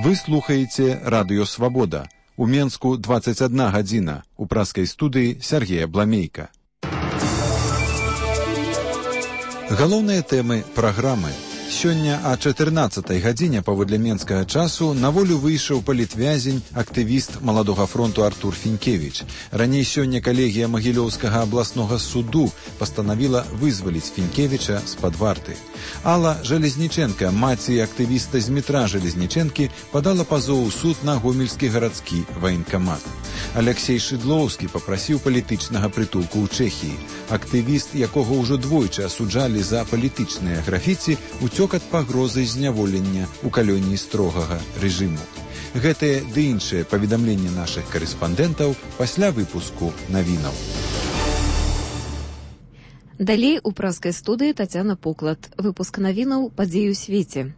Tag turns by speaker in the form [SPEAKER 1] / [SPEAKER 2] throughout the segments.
[SPEAKER 1] Вы слухаеце Радыё Свабода. У Менску 21 гадзіна. У праскай студыі Сергея Бламейка. Галоўныя тэмы праграмы. Сёння о 14 гадзіне паводле менскага часу на волю выйшаў палітвязень, актывіст Маладога фронту Артур Фінкевіч. Раней сёння калегія Магілёўскага абласнога суду пастанавіла вызваліць Фінкевіча з-пад варты. Алла Жалезніченка, маці актывіста з метра Жалезніченкі, падала пазоў у суд на гомельскі гарадскі ваенкамат. Алексей Шыдлоўскі папрасіў палітычнага прытулку ў Чэхіі. Актывіст, якога ўжо двойчы асуджалі за палітычныя графіці, уцёк ад пагрозы зняволення ў калоніі строгага рэжыму. Гэтыя ды іншыя паведамленні нашых карэспандэнтаў пасля выпуску навінаў.
[SPEAKER 2] Далей у праскай студыі Тацяна Поклад. Выпуск навінаў «Падзеі ў свеце».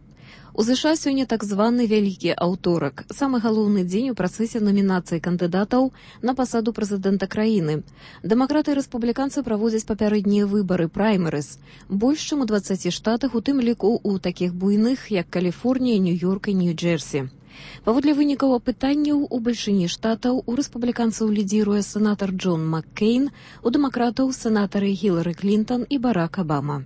[SPEAKER 2] У ЗША сёння так званы вялікі аўторак, самы галоўны дзень у працэсе намінацыі кандыдатаў на пасаду прэзідэнта краіны. Дэмакраты і рэспубліканцы праводзяць папярэднія выбары, праймерыз, больш чым у 20 штатах, у тым ліку ў такіх буйных, як Каліфорнія, Нью-Йорк і Нью-Джерсі. Паводле вынікаў апытанняў, у бальшыні штатаў у рэспубліканцаў лідзіруе сенатар Джон Маккейн, у дэмакратаў сенатары Гілары Клінтон і Барак Абама.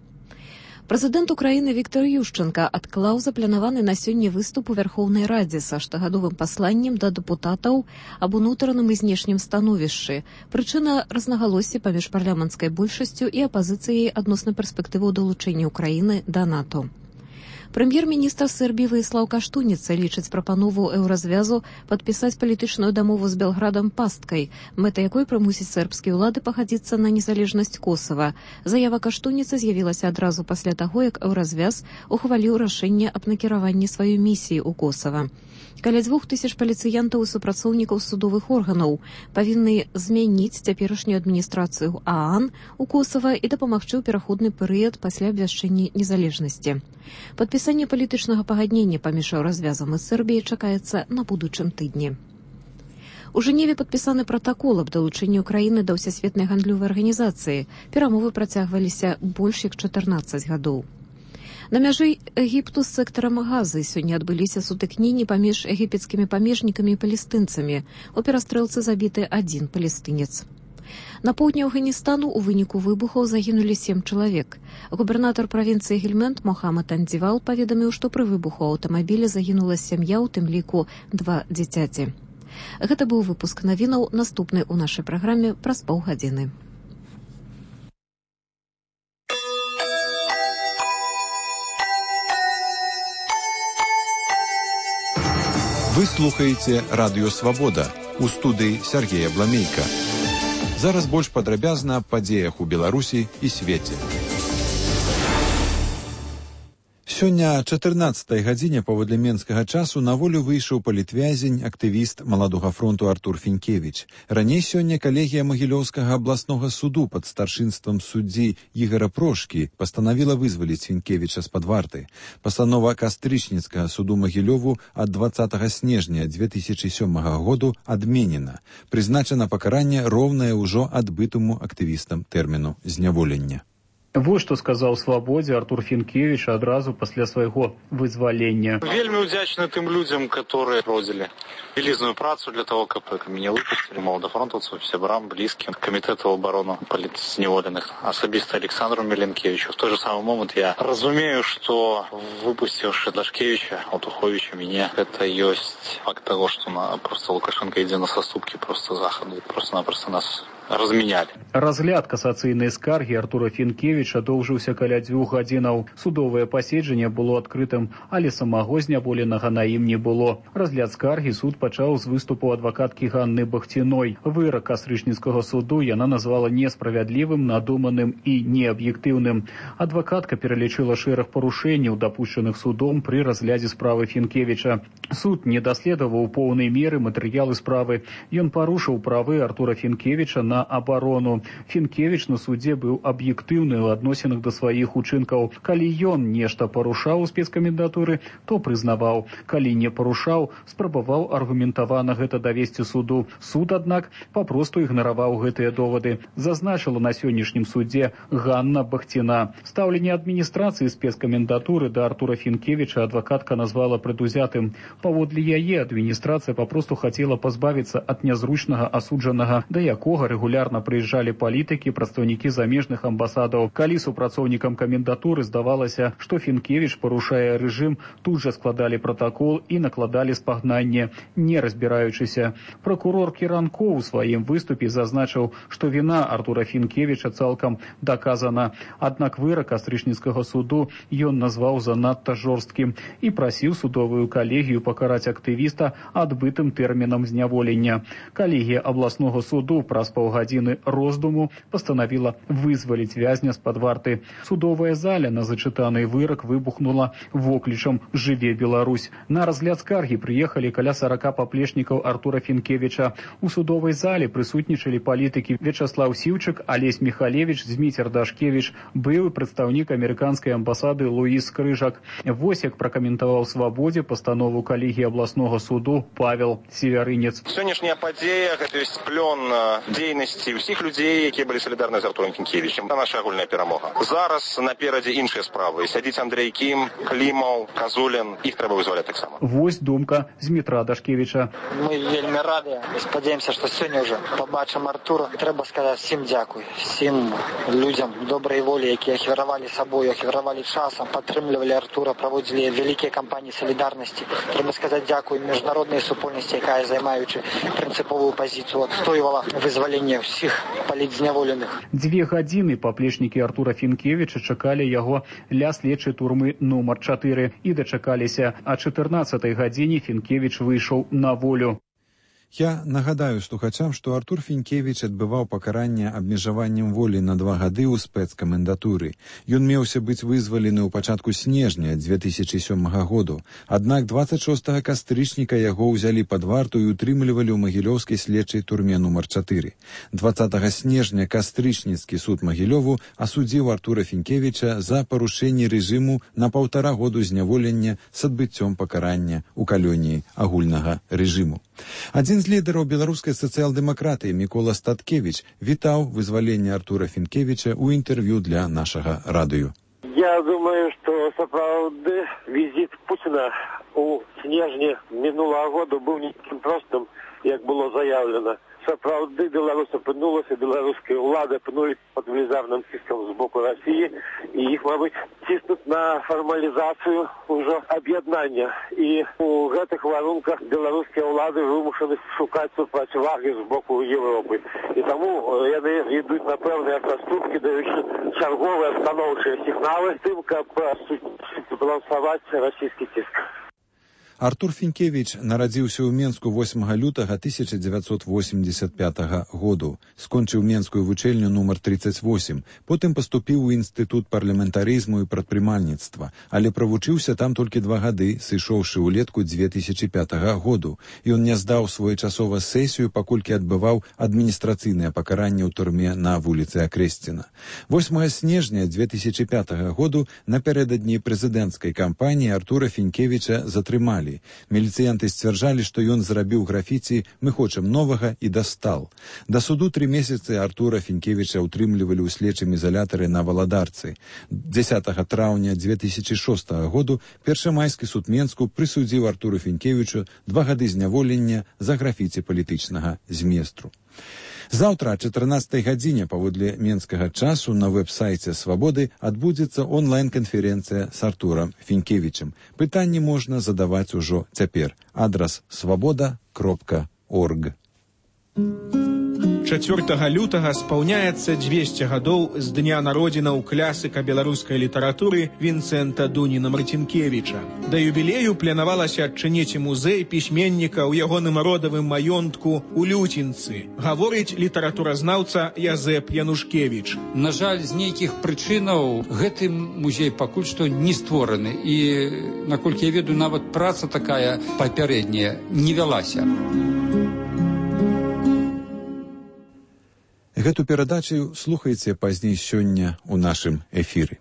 [SPEAKER 2] Прэзідэнт Украіны Віктор Ющенка адклаў запланаваны на сёння выступ у Вярхоўнай Радзе са штогадовым пасланнем да дэпутатаў аб унутраным і знешнім становішчы. Прычына – рознагалоссі паміж парламенцкай большасцю і апазіцыяй адносна перспектываў далучэння Украіны да НАТО. Прэм'ер-міністр Сербіі Ваіслаў Каштуніца лічыць прапанову еўразвязу падпісаць палітычную дамову з Белградам пасткай, мэта якой прымусіць сербскія ўлады пагадзіцца на незалежнасць Косава. Заява Каштуніцы з'явілася адразу пасля таго, як еўразвяз ухваліў рашэнне аб накіраванні сваёй місіі ў Косава. Каля 2000 паліцыянтаў і супрацоўнікаў судовых органаў павінны змяніць цяперашнюю адміністрацыю ААН у Косава і дапамагчы ў пераходны перыяд пасля абвяшчэння незалежнасці. Падпісанне палітычнага пагаднення паміж еўразвязам і Сербіяй чакаецца на будучым тыдні. У Жэневе падпісаны пратакол аб далучэнні Украіны да ўсесветнай гандлёвай арганізацыі. Перамовы працягваліся больш як 14 гадоў. На мяжы Егіпту з сектарам Газы сёння адбыліся сутыкненні паміж егіпецкімі памежнікамі і палестынцамі. У перастрэлцы забіты адзін палестынец. На поўдні Афганістану у выніку выбухаў загінулі 7 чалавек. Губернатар правінцыі Гельманд Мохаммад Андзівал паведаміў, што пры выбуху аўтамабіля загінула сям'я, у тым ліку 2 дзіцяці. Гэта быў выпуск навінаў, наступны ў нашай праграме праз паўгадзіны.
[SPEAKER 1] Вы слухаеце Радыё Свабода. У студыі Сергея Бламейка. Зараз больш падрабязна аб падзеях у Беларусі і свеце. Сёння о 14 гадзіне паводле менскага часу на волю выйшаў палітвязень, актывіст Маладога фронту Артур Фінкевіч. Раней сёння калегія Магілёўскага абласнога суду пад старшынствам суддзі Ігара Прошкі пастанавіла вызваліць Фінкевіча з-пад варты. Пастанова кастрычніцкага суду Магілёву ад 20 снежня 2007 году адменена. Прызначана пакаранне роўнае ўжо адбытому актывістам тэрміну зняволення.
[SPEAKER 3] Вот што сказаў Свабодзе Артур Фінкевіч адразу пасля свайго вызвалення.
[SPEAKER 4] Вельмі удзячны тым людзям, которые родзілі вялізную працу для того, каб мяне выпусцілі, маладафронтаўцам, сябрам, блізкім, камітэту абароны палітзняволеных, асабіста Александру Меленкевичу. В той же самый момент я разумею, што выпусціўшы Длашкевича, Отуховича, мяне, гэта ёсць факт таго, што просто Лукашенко ідзе на саступкі просто захаду, просто-напросто нас размянялі.
[SPEAKER 3] Разгляд касацыйнай скаргі Артура Фінкевіча доўжыўся каля 2 гадзінаў. Судовае паседжанне было адкрытым, але самого зняволенага на ім не было. Разгляд скаргі суд пачаў з выступу адвакаткі Ганны Бахціной. Вырак кастрычніцкага суду яна назвала несправядлівым, надуманым і неаб'ектыўным. Адвакатка пералічыла шэраг парушэнняў, дапушчаных судом пры разглядзе справы Фінкевіча. Суд не даследаваў у поўнай меры матэрыялы справы. Ён парушыў правы Артура Фінкевіча на на абарону. Фінкевіч на судзе быў аб'ектыўны ў адносінах да сваіх учынкаў. Калі ён нешта парушаў у спецкамендатуры, то прызнаваў. Калі не парушаў, спрабаваў аргументавана гэта давесці суду. Суд, аднак, папросту ігнараваў гэтыя довады. Зазначыла на сённяшнім судзе Ганна Бахціна. Стаўленне адміністрацыі спецкамендатуры да Артура Фінкевіча адвакатка назвала предузятым. Паводле яе адміністрацыя папросту хацела пазбавіцца ад нязручнага асуджанага, да якога рэгулярна прыязджалі палітыкі, прадстаўнікі замежных амбасадаў. Калі супрацоўнікам камендатуры здавалася, што Фінкевіч парушае рэжым, тут жа складалі пратакол і накладалі спагнанне, не разбіраючыся. Прокурор Кіранкоў у сваім выступе зазначыў, што віна Артура Фінкевіча цалкам доказана. Аднак вырак кастрычніцкага суду ён назваў занадта жорсткім і прасіў судовую калегію пакараць актывіста адбытым тэрмінам зняволення. Калегія абласнога суду праз паўгадзіны роздуму пастанавіла вызваліць вязня з-пад варты. Судовая заля на зачытаны вырак выбухнула воклічам «Жыве Беларусь». На разгляд скаргі прыехалі каля 40 паплечнікаў Артура Фінкевіча. У судовай зале прысутнічалі палітыкі Вячаслаў Сіўчык, Алесь Міхалевіч, Зміцер Дашкевіч, былы прадстаўнік амерыканскай амбасады Луіс Крыжак. Вось як пракаментаваў «Свабодзе» пастанову калегіі абласнога суду Павел Севярынец.
[SPEAKER 5] Сённяшняя падзея – гэта ёсць плён дзейнасці ўсіх людзей, якія былі салідарны з Артурам Фінкевічем. Это наша агульная перамога. Зараз наперадзе іншыя справы. Сядзіць Андрей Кім, Клімаў, Казулін. Іх трэба вызваляць таксама.
[SPEAKER 3] Вось думка Змітра Дашкевіча.
[SPEAKER 6] Мы вельмі рады і спадзяемся, што сёння ўжо пабачым Артура. Трэба сказаць всім дзякуй. Всім людзям добрай волі, якія ахвяравалі сабою, ахвяравалі часам, падтрымлівалі Артура, праводзілі вялікія кампаніі салідарнасці. Трэба сказаць дзякуй міжнароднай супольнасці, якая, займаючы прынцыповую пазіцыю, адстойвала вызваленне ўсіх палітзняволеных.
[SPEAKER 3] 2 гадзіны паплечнікі Артура Фінкевіча чакалі яго ля следчай турмы нумар 4 і дачакаліся. А 14-й гадзіне Фінкевіч выйшаў на волю.
[SPEAKER 1] Я нагадаю слухачам, што Артур Фінкевіч адбываў пакаранне абмежаваннем волі на 2 гады ў спецкамендатуры. Ён меўся быць вызвалены ў пачатку снежня 2007 году. Аднак 26 кастрычніка яго ўзялі пад варту і утрымлівалі ў магілёўскай следчай турме нумар 4. 20 снежня кастрычніцкі суд Магілёву асудзіў Артура Фінкевіча за парушэнне рэжыму на 1,5 году зняволення з адбыццём пакарання ў калоніі агульнага рэжыму. Адзін з лідараў беларускай сацыял-дэмакратыі Мікола Статкевіч вітаў вызваленне Артура Фінкевіча ў інтэрв'ю для нашага радыё.
[SPEAKER 7] Я думаю, што сапраўды візіт Пуціна у снежні мінулага году быў не такім простым, як было заяўлена. Сапраўды Беларусь апынулася, беларускія ўлады апынулі пад велізарным ціскам з боку Расіі, і іх, мабыць, ціснуць на фармалізацыю ўжо аб'яднання. І у гэтых варунках беларускія ўлады вымушаны шукаць супрацьвагі з боку Еўропы. І таму яны ідуць на пэўныя праступкі, даючы чарговыя станоўчыя сігналы з тым, каб збалансаваць расійскі ціск.
[SPEAKER 1] Артур Фінкевіч нарадзіўся ў Менску 8 лютага 1985 году. Скончыў Менскую вучэльню нумар 38, потым паступіў у інстытут парламентарызму і прадпрымальніцтва, але правучыўся там толькі 2 гады, сышоўшы ўлетку 2005 году. Ён не здаў своечасова сесію, паколькі адбываў адміністрацыйнае пакаранне ў турме на вуліцы Акрэсціна. 8 снежня 2005 году напярэдадні прэзідэнцкай кампаніі Артура Фінкевіча затрымалі. Міліцыянты сцвярджалі, што ён зрабіў графіці «Мы хочам новага» і дастал. Да суду 3 месяцы Артура Фінкевіча утрымлівалі ў следчым ізалятары на Валадарцы. 10 траўня 2006 году Першамайскі суд Менску прысудзіў Артуру Фінкевічу 2 гады зняволення за графіці палітычнага зместру. Заўтра о 14 гадзіне паводле менскага часу на вэб-сайце «Свабоды» адбудзецца онлайн-канферэнцыя з Артурам Фінкевічем. Пытанні можна задаваць ужо цяпер. Адрас swoboda.org.
[SPEAKER 8] 4 лютага спаўняецца 200 гадоў з дня народзінаў класіка беларускай літаратуры Вінцэнта Дуніна Марцінкевіча. Да юбілею планавалася адчыніць музей пісьменніка ў ягоным родавым маёнтку ў Люцінцы, гаворыць літаратуразнаўца Язэп Янушкевіч.
[SPEAKER 9] На жаль, з нейкіх прычынаў гэты музей пакуль што не створаны, і, наколькі я ведаю, нават праца такая папярэдняя не вялася.
[SPEAKER 1] Гэту перадачу слухайце пазней сёння ў нашым эфіры.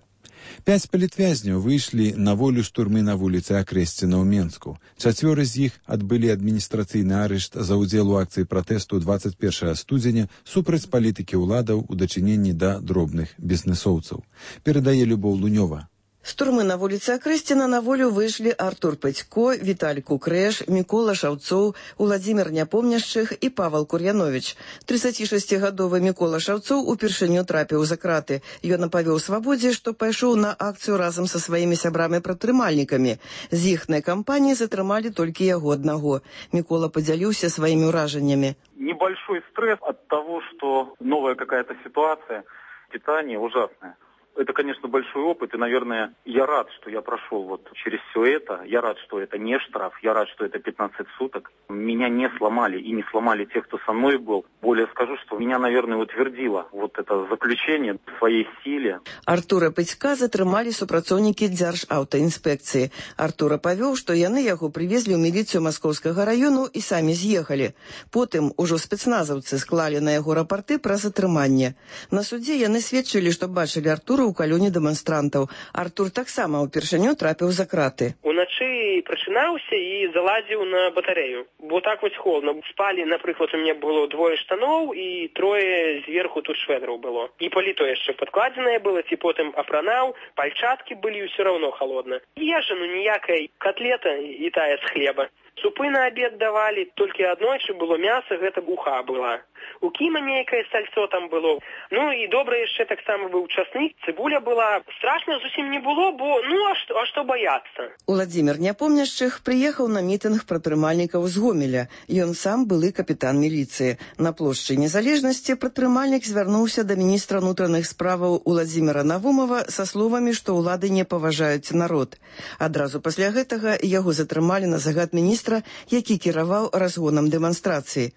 [SPEAKER 1] 5 палітвязняў выйшлі на волю з турмы на вуліцы Акрэсціна ў Менску. 4 з іх адбылі адміністрацыйны арышт за ўдзел у акцыі пратэсту 21 студзеня супраць палітыкі ўладаў у дачыненні да дробных бізнесоўцаў. Перадае Любоў Лунёва.
[SPEAKER 10] З турмы на вуліцы Акрэсціна на волю выйшлі Артур Пэцько, Віталь Кукрэш, Мікола Шаўцоў, Уладзімір Няпомняшчых і Павал Кур'яновіч. 36-гадовы Мікола Шаўцоў упершыню трапіў за краты. Ён апавёў свабодзе, што пайшоў на акцыю разам са сваімі сябрамі-прадтрымальнікамі. З іхнай кампаніі затрымалі толькі яго аднаго. Мікола падзяліўся сваімі ўражаннямі.
[SPEAKER 11] Небольшой стресс от того, что новая какая-то ситуация, питание ужасное. Это, конечно, большой опыт, и, наверное, я рад, что я прошел вот через все это. Я рад, что это не штраф, я рад, что это 15 суток. Меня не сломали, и не сломали те, кто со мной был. Более скажу, что меня, наверное, утвердило вот это заключение в своей силе.
[SPEAKER 10] Артура Пэцька затрымалі супрацоўнікі Дзяржаўтаінспекцыі. Артура павёў, што яны яго прывезлі ў міліцыю Маскоўскага раёну і самі з'ехалі. Потым ужо спецназаўцы склалі на яго рапарты пра затрыманне. На судзе яны сведчылі, што бачылі Артура ў калёне дэманстрантаў. Артур таксама ўпершыню трапіў за краты.
[SPEAKER 12] Уначы прачынаўся і залазіў на батарэю. Бо так вось холодна. Спалі, напрыклад, у мяне было 2 штаноў і 3 зверху тут шведраў было. І паліто яшчэ падкладзенае было, ці потым апранаў, пальчаткі былі, і ўсё роўно холодна. Ежа, ніякай, котлета і тая з хлеба. Супы на абед давалі, толькі аднойчы было мяса, гэта уха была. У кіма нейкае сальцо там было. Ну і добра яшчэ таксама быў часник, цыбуля была. Страшна зусім не было, бо а што баяцца?
[SPEAKER 10] Уладзімір Няпомняшчых прыехаў на мітынг прадтрымальнікаў з Гомеля. Ён сам былы капітан міліцыі. На плошчы Незалежнасці прадтрымальнік звярнуўся да міністра ўнутраных справаў Уладзіміра Навумова са словамі, што ўлады не паважаюць народ. Адразу пасля гэтага яго затрымалі на загад міністра, які кіраваў разгонам дэманстрацыі.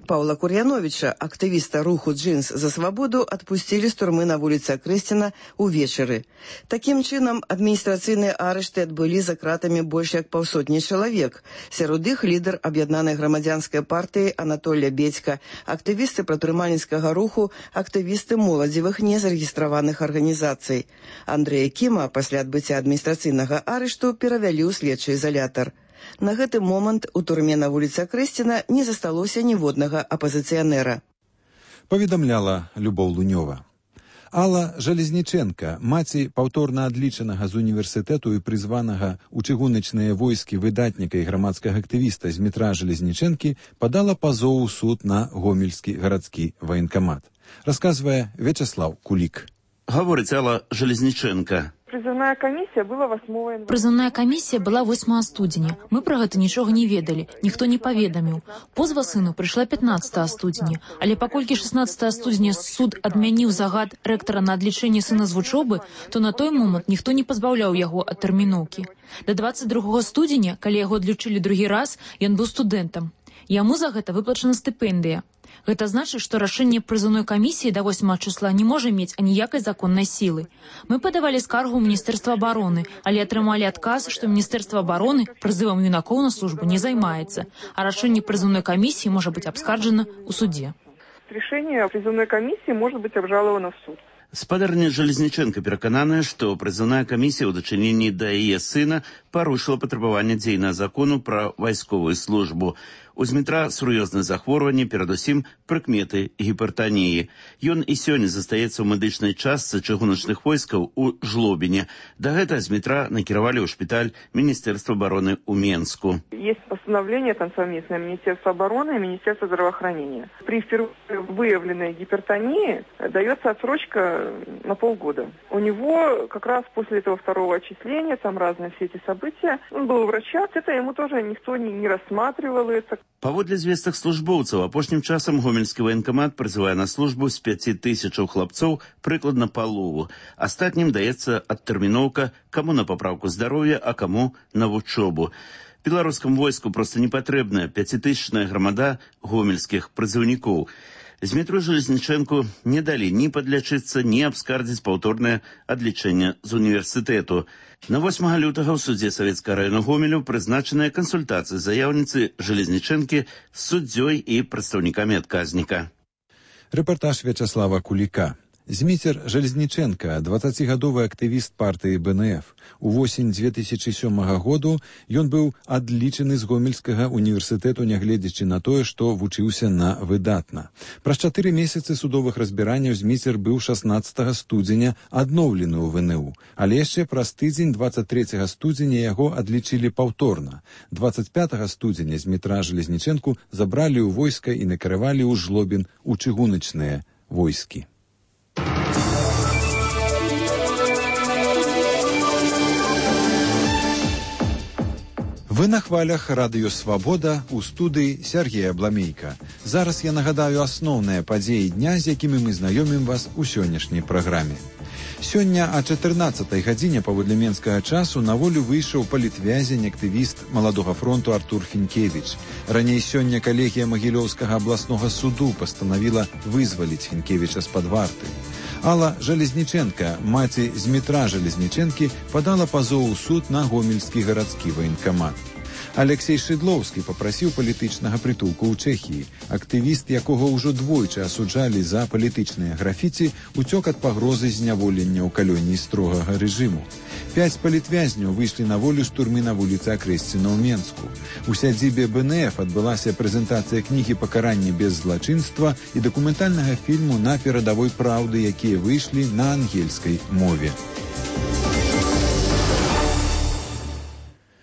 [SPEAKER 10] Паўла Кур'яновіча, актывіста руху «Джинс за свабоду», адпусцілі з турмы на вуліцы Акрэсціна ўвечары. Такім чынам, адміністрацыйныя арышты адбылі за кратамі больш як 500 чалавек. Сярод іх лідар аб'яднанай грамадзянскай партыі Анатолля Бедзька, актывісты прадтрымальніцкага руху, актывісты моладзевых незарэгістраваных арганізацый. Андрэя Кіма пасля адбыцця адміністрацыйнага арышту перавялі ў следчы ізалятар. На гэты момант у турме на вуліцы Акрэсціна не засталося ніводнага апазіцыянера.
[SPEAKER 1] Паведамляла Любоў Лунёва. Алла Жалезніченка, маці паўторна адлічанага з універсітэту і прызванага ў чыгуначныя войскі выдатніка і грамадскага актывіста Змітра Жалезнічэнкі, падала пазоў у суд на Гомельскі гарадскі ваенкамат. Расказвае Вячаслаў Кулік.
[SPEAKER 13] Гаворыць Алла Жалезніченка.
[SPEAKER 14] Призывная комиссия была 8 января.
[SPEAKER 15] Призывная комиссия была 8 студзеня. Мы про гэта нічога не ведалі, ніхто не паведаміў. Позва сыну прыйшла 15 студзеня, але паколькі 16 студзеня суд адмяніў загад рэктара на адлічэнне сына з вучобы, то на той момант ніхто не пазбаўляў яго ад тэрміноўкі. Да 22 студзеня, калі яго адлічылі другі раз, ён быў студэнтам. Яму за гэта выплачана стыпендыя. Гэта значыць, што рашэнне прызыўной камісіі да 8 числа не можа мець аніякай законнай сілы. Мы падавалі скаргу ў Міністэрства абароны, але атрымалі адказ, што Міністэрства абароны прызывам юнакоў на службу не займаецца, а рашэнне прызыўной камісіі можа быць абскарджана ў суде.
[SPEAKER 14] Решение призывной комиссии может быть обжаловано в суд.
[SPEAKER 13] Спадарня Жалезніченка перакананая, што прызыўная камісія ў дачыненні да яе сына парушыла патрабаванне дзейнага закону пра вайсковую службу. У Змітра сур'ёзнае захворванне, перадусім прыкметы гіпертаніі. Ён і сёння застаецца ў медычнай частцы чыгуначных войскаў у Жлобіне. Да гэтага Змітра накіравалі ў шпіталь Міністэрства абароны ў Менску.
[SPEAKER 14] Есть постановление там совместное Министерства обороны и Министерства здравоохранения. При впервые выявленной гипертонии дается отсрочка на полгода. У него как раз после этого 2-го отчисления, там разные все эти события, он был у врача, это ему тоже никто не рассматривал это.
[SPEAKER 13] Паводле звестак службоўцаў, апошнім часам Гомельскі ваенкамат прызывае на службу з 5000 хлапцоў прыкладна палову. Астатнім даецца адтэрміноўка, каму на папраўку здароўя, а каму на вучобу. Беларускаму войску проста не патрэбная 5000-ная грамада гомельскіх прызыўнікоў. Змітру Жалезнічэнку не далі ні падлячыцца, ні абскардзіць паўторнае адлічэнне з універсітэту. На 8 лютага ў судзе Савецкага раёна Гомелю прызначаная кансультацыя заяўніцы Жалезнічэнкі з суддзёй і прадстаўнікамі адказніка.
[SPEAKER 1] Рэпартаж Вячаслава Куліка. Зміцер Жалезніченка, 20гадовы актывіст партыі БНФ. Увосень 2007 году ён быў адлічаны з Гомельскага універсітэту, нягледзячы на тое, што вучыўся на выдатна. Праз 4 месяцы судовых разбіранняў Зміцер быў 16 студзеня адноўлены ў ВНУ, але яшчэ праз тыдзень 23 студзеня яго адлічылі паўторна. 25 студзеня Змітра Жалезніченку забралі ў войска і накіравалі ў Жлобін у чыгуначныя войскі. Вы на хвалях Радыё Свабода, у студыі Сергея Бламейка. Зараз я нагадаю асноўныя падзеі дня, з якімі мы знаёмім вас у сённяшняй праграме. Сёння о 14 гадзіне паводле менскага часу на волю выйшаў палітвязень, актывіст Маладога фронту Артур Фінкевіч. Раней сёння калегія Магілёўскага абласнога суду пастанавіла вызваліць Фінкевіча з-пад варты. Алла Жалезніченка, маці Змітра Жалезніченкі, падала пазоў у суд на Гомельскі гарадскі ваенкамат. Алексей Шыдлоўскі папрасіў палітычнага прытулку ў Чэхіі. Актывіст, якога ўжо двойчы асуджалі за палітычныя графіці, уцёк ад пагрозы зняволення ў калоніі строгага рэжыму. 5 палітвязняў выйшлі на волю з турмы на вуліцы Акрэсціна ў Менску. У сядзібе БНФ адбылася прэзентацыя кнігі «Пакаранне без злачынства» і дакументальнага фільму «На перадавой праўды», якія выйшлі на ангельскай мове.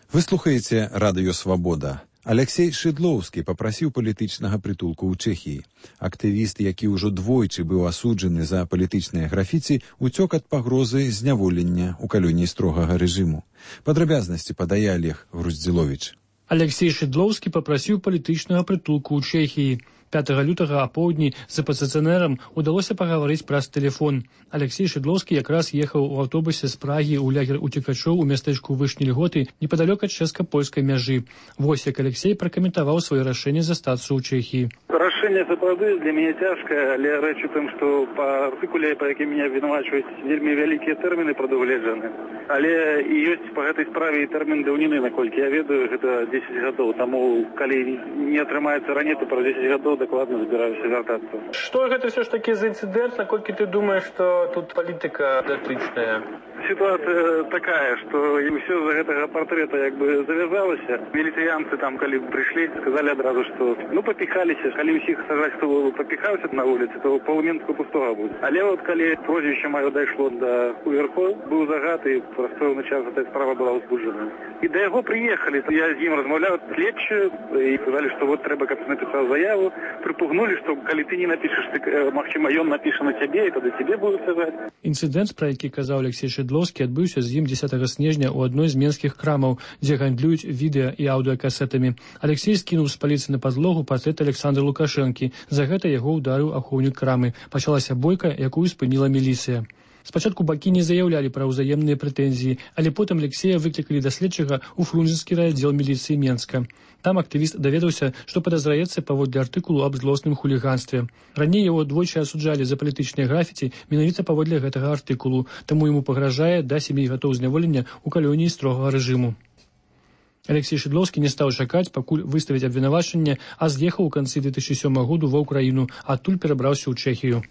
[SPEAKER 1] Вы слухаеце Радыё Свабода. Алексей Шыдлоўскі папрасіў палітычнага прытулку ў Чэхіі. Актывіст, які ўжо двойчы быў асуджаны за палітычныя графіці, уцёк ад пагрозы зняволення ў калоніі строгага рэжыму. Падрабязнасці падае Олег Груздзіловіч.
[SPEAKER 16] Алексей Шыдлоўскі папрасіў палітычнага прытулку ў Чэхіі. 5 лютага апоўдні з апазіцыянерам удалося пагаварыць праз тэлефон. Алексей Шыдлоўскі якраз ехаў у аўтобусе з Прагі ў лагер уцекачоў у мястэчку Вышні Льготы непадалёк ад чэшска-польскай мяжы. Вось як Алексей пракаментаваў сваё рашэнне застацца ў Чэхіі.
[SPEAKER 11] Рашэнне сапраўды для мяне цяжкае, але рэч у тым, што па артыкуле, па якім мяне абвінавачваюць, вельмі вялікія тэрміны прадугледжаны. Але і ёсць па гэтай справе і тэрмін даўніны, наколькі я ведаю, гэта 10 гадоў. Таму, калі не атрымаецца раней, то праз 10 гадоў дакладна збіраюся вяртацца.
[SPEAKER 16] Што гэта ўсё ж такі за інцыдэнт, наколькі ты думаеш, што тут палітыка датычная?
[SPEAKER 11] Сітуацыя такая, што ўсё з гэтага партрета як бы завязалася. Міліцыянцы там, калі прыйшлі, сказалі адразу, што папіхаліся. Калі ўсіх сажаць, хто папіхаўся на вуліцы, то паўменску пустога будзе. Але от калі прозвішча маё дайшло да уверхоў, быў загад, і праз пэўны час гэтая справа была ўзбуджана. І да яго прыехалі, я з ім размаўляў следчы, і сказалі, што вот трэба, каб напісаў заяву. Прыпугнулі, што калі ты не напішаш, магчыма, ён напіша на цябе, і тады цябе будуць сажаць.
[SPEAKER 16] Інцыдэнт, пра які казаў Алексей Шыдлоўскі, адбыўся з ім 10 снежня ў адной з менскіх крамаў, дзе гандлююць відэа і аўдыакасетамі. Алексей скінуў з паліцы на падлогу партрэт Александра Лукашэнкі. За гэта яго ўдарыў ахоўнік крамы. Пачалася бойка, якую спыніла міліцыя. Спачатку бакі не заяўлялі пра ўзаемныя прэтэнзіі, але потым Алексея выклікалі да следчага ў Фрунзенскі райаддзел міліцыі Менска. Там актывіст даведаўся, што падазраецца паводле артыкулу аб злосным хуліганстве. Раней яго двойчы асуджалі за палітычныя графіці менавіта паводле гэтага артыкулу, таму яму пагражае да 7 гадоў зняволення ў калоніі строгага рэжыму. Алексей Шыдлоўскі не стаў чакаць, пакуль выставіць абвінавачанне, а з'ехаў у канцы 2007 году ва ўкраіну, адтуль перабраўся ў Чэхію.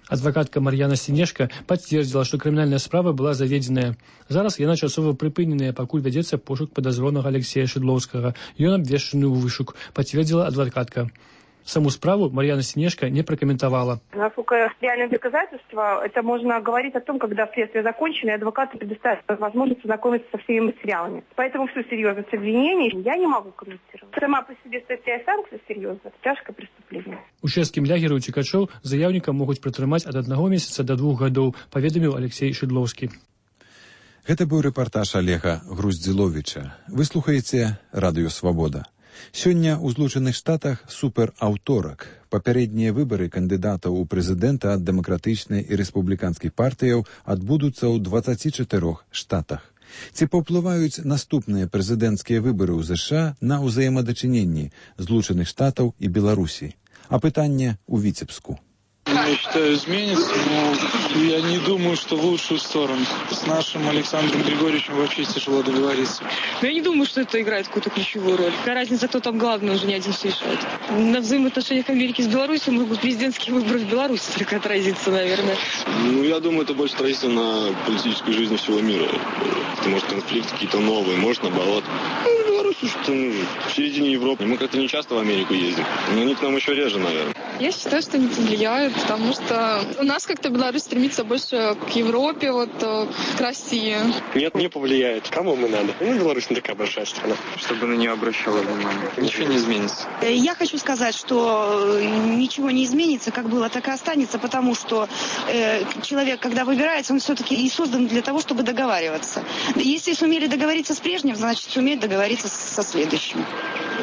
[SPEAKER 16] Адвакатка Мар'яна Сінешка пацвердзіла, што крымінальная справа была заведзеная. Зараз яна часова прыпыненая, пакуль вядзецца пошук падазронага Алексея Шыдлоўскага. Ён абвешчаны ў вышук, пацвердзіла адвакатка. Саму справу Марьяна Синешко не прокомментовала.
[SPEAKER 14] Насколько реальные доказательства, это можно говорить о том, когда следствие закончено, и адвокаты предоставят возможность ознакомиться со всеми материалами. Поэтому всю серьезность обвинений я не могу комментировать. Сама по себе статья санкций серьезная, это тяжкое преступление.
[SPEAKER 16] У чэшскім лягеры уцекачоў заявніка могуць пратрымаць ад 1 месяца до 2 гадоў, паведаміў Алексей Шыдлоўскі.
[SPEAKER 1] Гэта быў рэпартаж Олега Груздзіловіча. Вы слухаеце Радыё Свабода. Сёння ў Злучаных Штатах супераўторак. Папярэднія выбары кандыдатаў у прэзідэнта ад дэмакратычнай і рэспубліканскіх партыяў адбудуцца ў 24 штатах. Ці паўплываюць наступныя прэзідэнцкія выбары ў ЗША на ўзаемадачыненні Злучаных Штатаў і Беларусі? А пытанне ў Віцебску.
[SPEAKER 17] Я считаю, изменится, но я не думаю, что в лучшую сторону. С нашим Александром Григорьевичем вообще тяжело договориться.
[SPEAKER 18] Но я не думаю, что это играет какую-то ключевую роль. Какая разница, кто там главный, он же не один все решает. На взаимоотношениях Америки с Беларусью могут президентские выборы в Беларуси только отразиться, наверное.
[SPEAKER 19] Я думаю, это больше отразится на политической жизни всего мира. Потому что конфликты какие-то новые, может, наоборот. Беларусь что в середине Европы. Мы как-то не часто в Америку ездим. Но они к нам еще реже, наверное.
[SPEAKER 20] Я считаю, что не повлияют, потому что у нас как-то Беларусь стремится больше к Европе, к России.
[SPEAKER 21] Нет, не повлияет. Кому мы надо? Беларусь не такая большая страна.
[SPEAKER 17] Чтобы на нее обращала внимание. Ничего не изменится.
[SPEAKER 22] Я хочу сказать, что ничего не изменится, как было, так и останется, потому что человек, когда выбирается, он все-таки и создан для того, чтобы договариваться. Если сумели договориться с прежним, значит, сумеют договориться со следующим.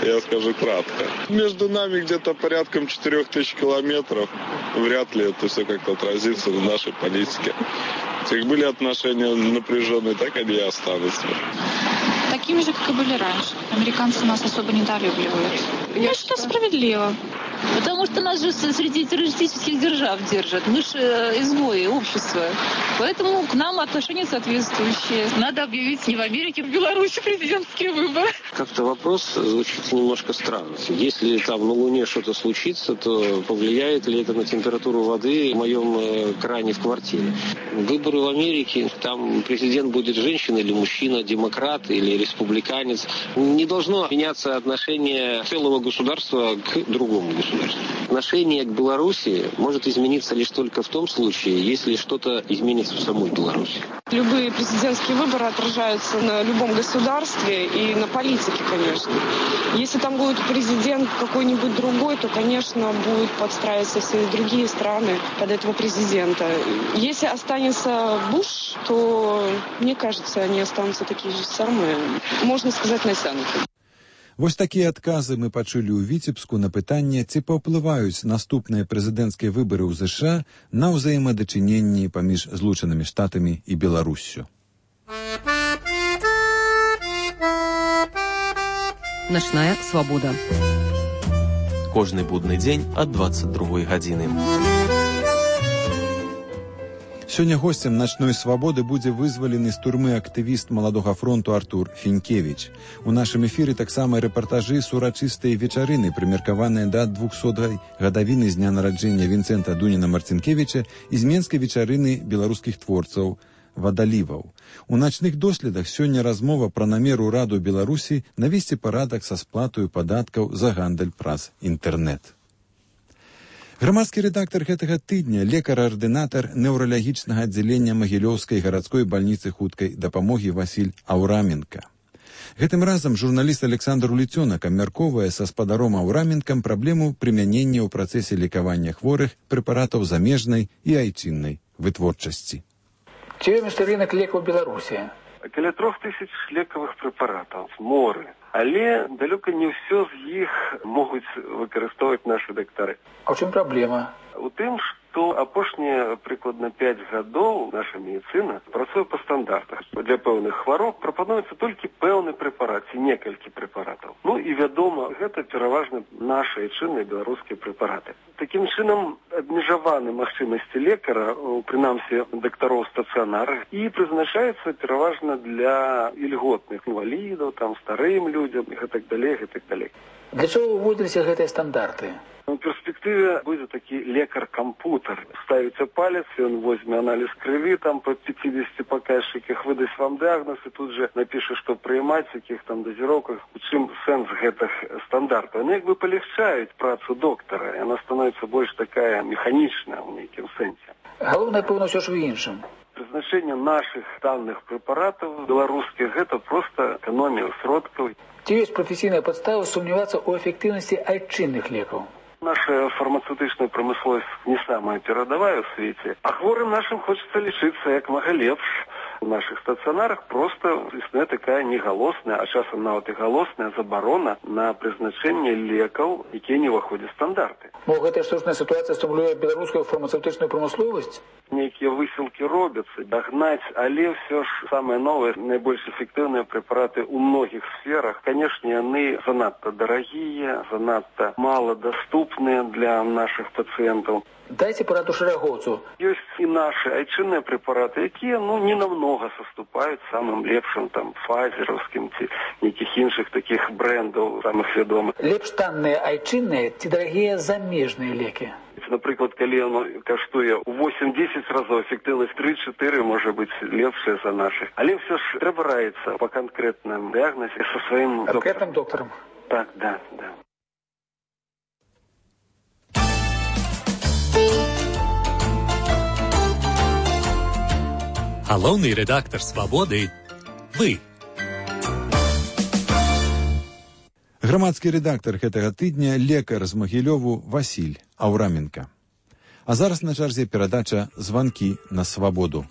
[SPEAKER 19] Я скажу кратко. Между нами где-то порядком 4000 километров. Вряд ли это все как-то отразится в нашей политике. Как были отношения напряженные, так они и останутся.
[SPEAKER 23] Такими же, как и были раньше. Американцы нас особо недолюбливают. Я считаю, справедливо.
[SPEAKER 15] Потому что нас же среди террористических держав держат. Мы же изгои общества. Поэтому к нам отношения соответствующие. Надо объявить не в Америке, а в Беларуси президентские выборы.
[SPEAKER 21] Как-то вопрос звучит немножко странно. Если там на Луне что-то случится, то повлияет ли это на температуру воды в моем кране в квартире? Выборы в Америке, там президент будет женщина или мужчина, демократ или республиканец. Не должно меняться отношение целого государства к другому государству. Отношение к Беларуси может измениться лишь только в том случае, если что-то изменится в самой Беларуси.
[SPEAKER 18] Любые президентские выборы отражаются на любом государстве и на политике, конечно. Если там будет президент какой-нибудь другой, то, конечно, будут подстраиваться все другие страны под этого президента. Если останется Буш, то, мне кажется, они останутся такие же самые, можно сказать, натянутые.
[SPEAKER 1] Вось такія адказы мы пачулі ў Віцебску на пытанне, ці паўплываюць наступныя прэзідэнцкія выбары ў ЗША на ўзаемадачыненні паміж Злучанымі Штатамі і Беларуссю.
[SPEAKER 24] Начная свабода.
[SPEAKER 25] Кожны будны дзень ад 22 гадзіны.
[SPEAKER 1] Сёння госцем начной свабоды будзе вызвалены з турмы актывіст Маладога фронту Артур Фінкевіч. У нашым эфіры таксама рэпартажы з урачыстай вечарыны, прымеркаваныя да 200-й гадавіны з дня нараджэння Вінцэнта Дуніна Марцінкевіча і з менскай вечарыны беларускіх творцаў вадаліваў. У начных доследах сёння размова пра намер ураду Беларусі навесці парадак са сплатаю падаткаў за гандаль праз інтэрнэт. Грамадскі рэдактар гэтага тыдня, лекар-ардынатар неўралагічнага аддзялення Магілёўскай гарадской бальніцы хуткай дапамогі Васіль Аўраменка. Гэтым разам журналіст Александр Уліцёнак абмяркоўвае са спадаром Аўраменкам праблему прымянення ў працэсе лекавання хворых прэпаратаў замежнай і айчыннай вытворчасці.
[SPEAKER 26] Ці ёсць рынок лекаў Беларусі?
[SPEAKER 7] Каля 3000 лекавых прэпаратаў, моры. Але далёка не ўсё з іх могуць выкарыстоўваць нашы дактары.
[SPEAKER 26] А ў чым праблема?
[SPEAKER 7] У тым, што апошнія прыкладна 5 гадоў наша медыцына працуе па стандартах. Для пэўных хвароб прапануецца толькі пэўны прэпарат ці некалькі прэпаратаў. І вядома, гэта пераважна нашы айчынныя беларускія прэпараты. Такім чынам абмежаваны магчымасці лекара, прынамсі дактароў стацыянарах, і прызначаецца пераважна для ільготных інвалідаў, старым людзям і гэтак далей.
[SPEAKER 26] Для чаго ўводзіліся гэтыя стандарты?
[SPEAKER 7] У перспектыве будзе такі лекар-кампутер. Ставіце палец, ён возьме аналіз крыві, по 50 паказчыках выдасць вам дыягноз і тут же напіша, што прыймаць, якіх дазіроўках, у чым сэнс гэтых стандартаў. Яны палегчаюць працу доктара, яна становіцца больш такая механічная ў нейкім сэнсе.
[SPEAKER 26] Галоўнае, пэўна, ўсё ж у іншым.
[SPEAKER 7] Прызначэнне нашых данных прэпаратаў беларускіх гэта проста эканомія сродкаў.
[SPEAKER 26] Ці ёсць прафесійная падстава сумнявацца ў эфектыўнасці айчынных лекаў?
[SPEAKER 7] Наша фармацевтычная прамысловасць не самая перадавая ў свеце, а хворым нашым хочацца лічыцца як мага лепш. У нашых стацыянарах проста існуе такая негалосная, а часам нават і галосная забарона на прызначэнне лекаў, якія не ўваходзяць стандарты.
[SPEAKER 26] Гэтая штучная сітуацыя стымулюе беларускую фармацевтычную прамысловасць?
[SPEAKER 2] Некие высылки робятся, догнать, але все ж самое новое, наибольш эффективные препараты у многих сферах. Конечно, они занадто дорогие, занадто малодоступные для наших пациентов.
[SPEAKER 26] Дайте пораду шерагоўцу.
[SPEAKER 2] Есть и наши айчинные препараты, которые, не намного соступают самым лепшим, файзеровским, неких інших таких брендов, самых ведомых.
[SPEAKER 26] Лепш танныя айчинные, ці дорогие замежные леки?
[SPEAKER 2] Например, когда оно коштует 8-10 разов, эффективность 3-4 может быть лепшая за наших. Але все ж треба раиться по конкретным диагнозе со своим
[SPEAKER 26] конкретным доктором.
[SPEAKER 2] Так, да.
[SPEAKER 3] Галоўны редактор «Свабоды» – вы.
[SPEAKER 1] Грамадскі рэдактар гэтага тыдня лекар з Магілёву Васіль Аўраменка. А зараз на чарзе перадача «Званкі на свабоду».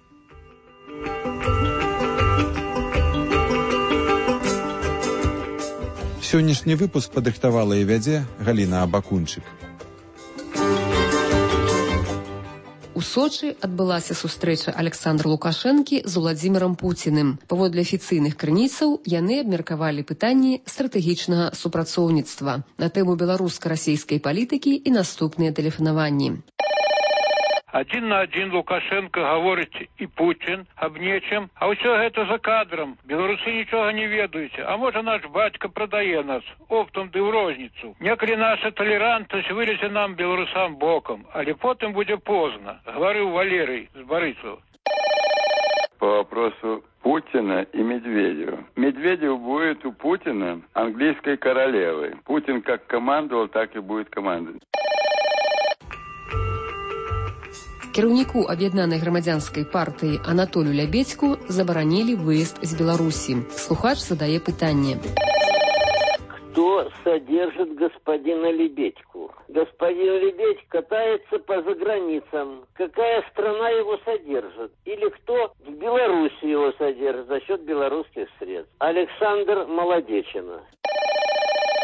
[SPEAKER 1] Сённяшні выпуск падрыхтавала і вядзе Галіна Абакунчык.
[SPEAKER 24] У Сочы адбылася сустрэча Александра Лукашэнкі з Уладзімірам Пуціным. Паводле афіцыйных крыніцаў, яны абмеркавалі пытанні стратэгічнага супрацоўніцтва на тэму беларуска-расійскай палітыкі і наступныя тэлефанаванні.
[SPEAKER 4] Один на один Лукашенко говорит и Путин об нечем, а все это за кадром. Белорусы ничего не ведают. А может наш батька продає нас оптом ды в розницу. Неколи наша толерантность вылезе нам, белорусам, боком, але потом будет поздно, говорил Валерий с Борисова.
[SPEAKER 5] По вопросу Путина и Медведева. Медведев будет у Путина английской королевой. Путин как командовал, так и будет командовать.
[SPEAKER 24] Кіраўніку аб'яднанай грамадзянскай партыі Анатолію Лябедзьку забаранілі выезд з Беларусі. Слухач задае пытанне.
[SPEAKER 6] Кто содержит господина Лебедьку? Господин Лебедь катается по заграницам. Какая страна его содержит? Или кто в Беларуси его содержит за счет белорусских средств? Александр Молодечина.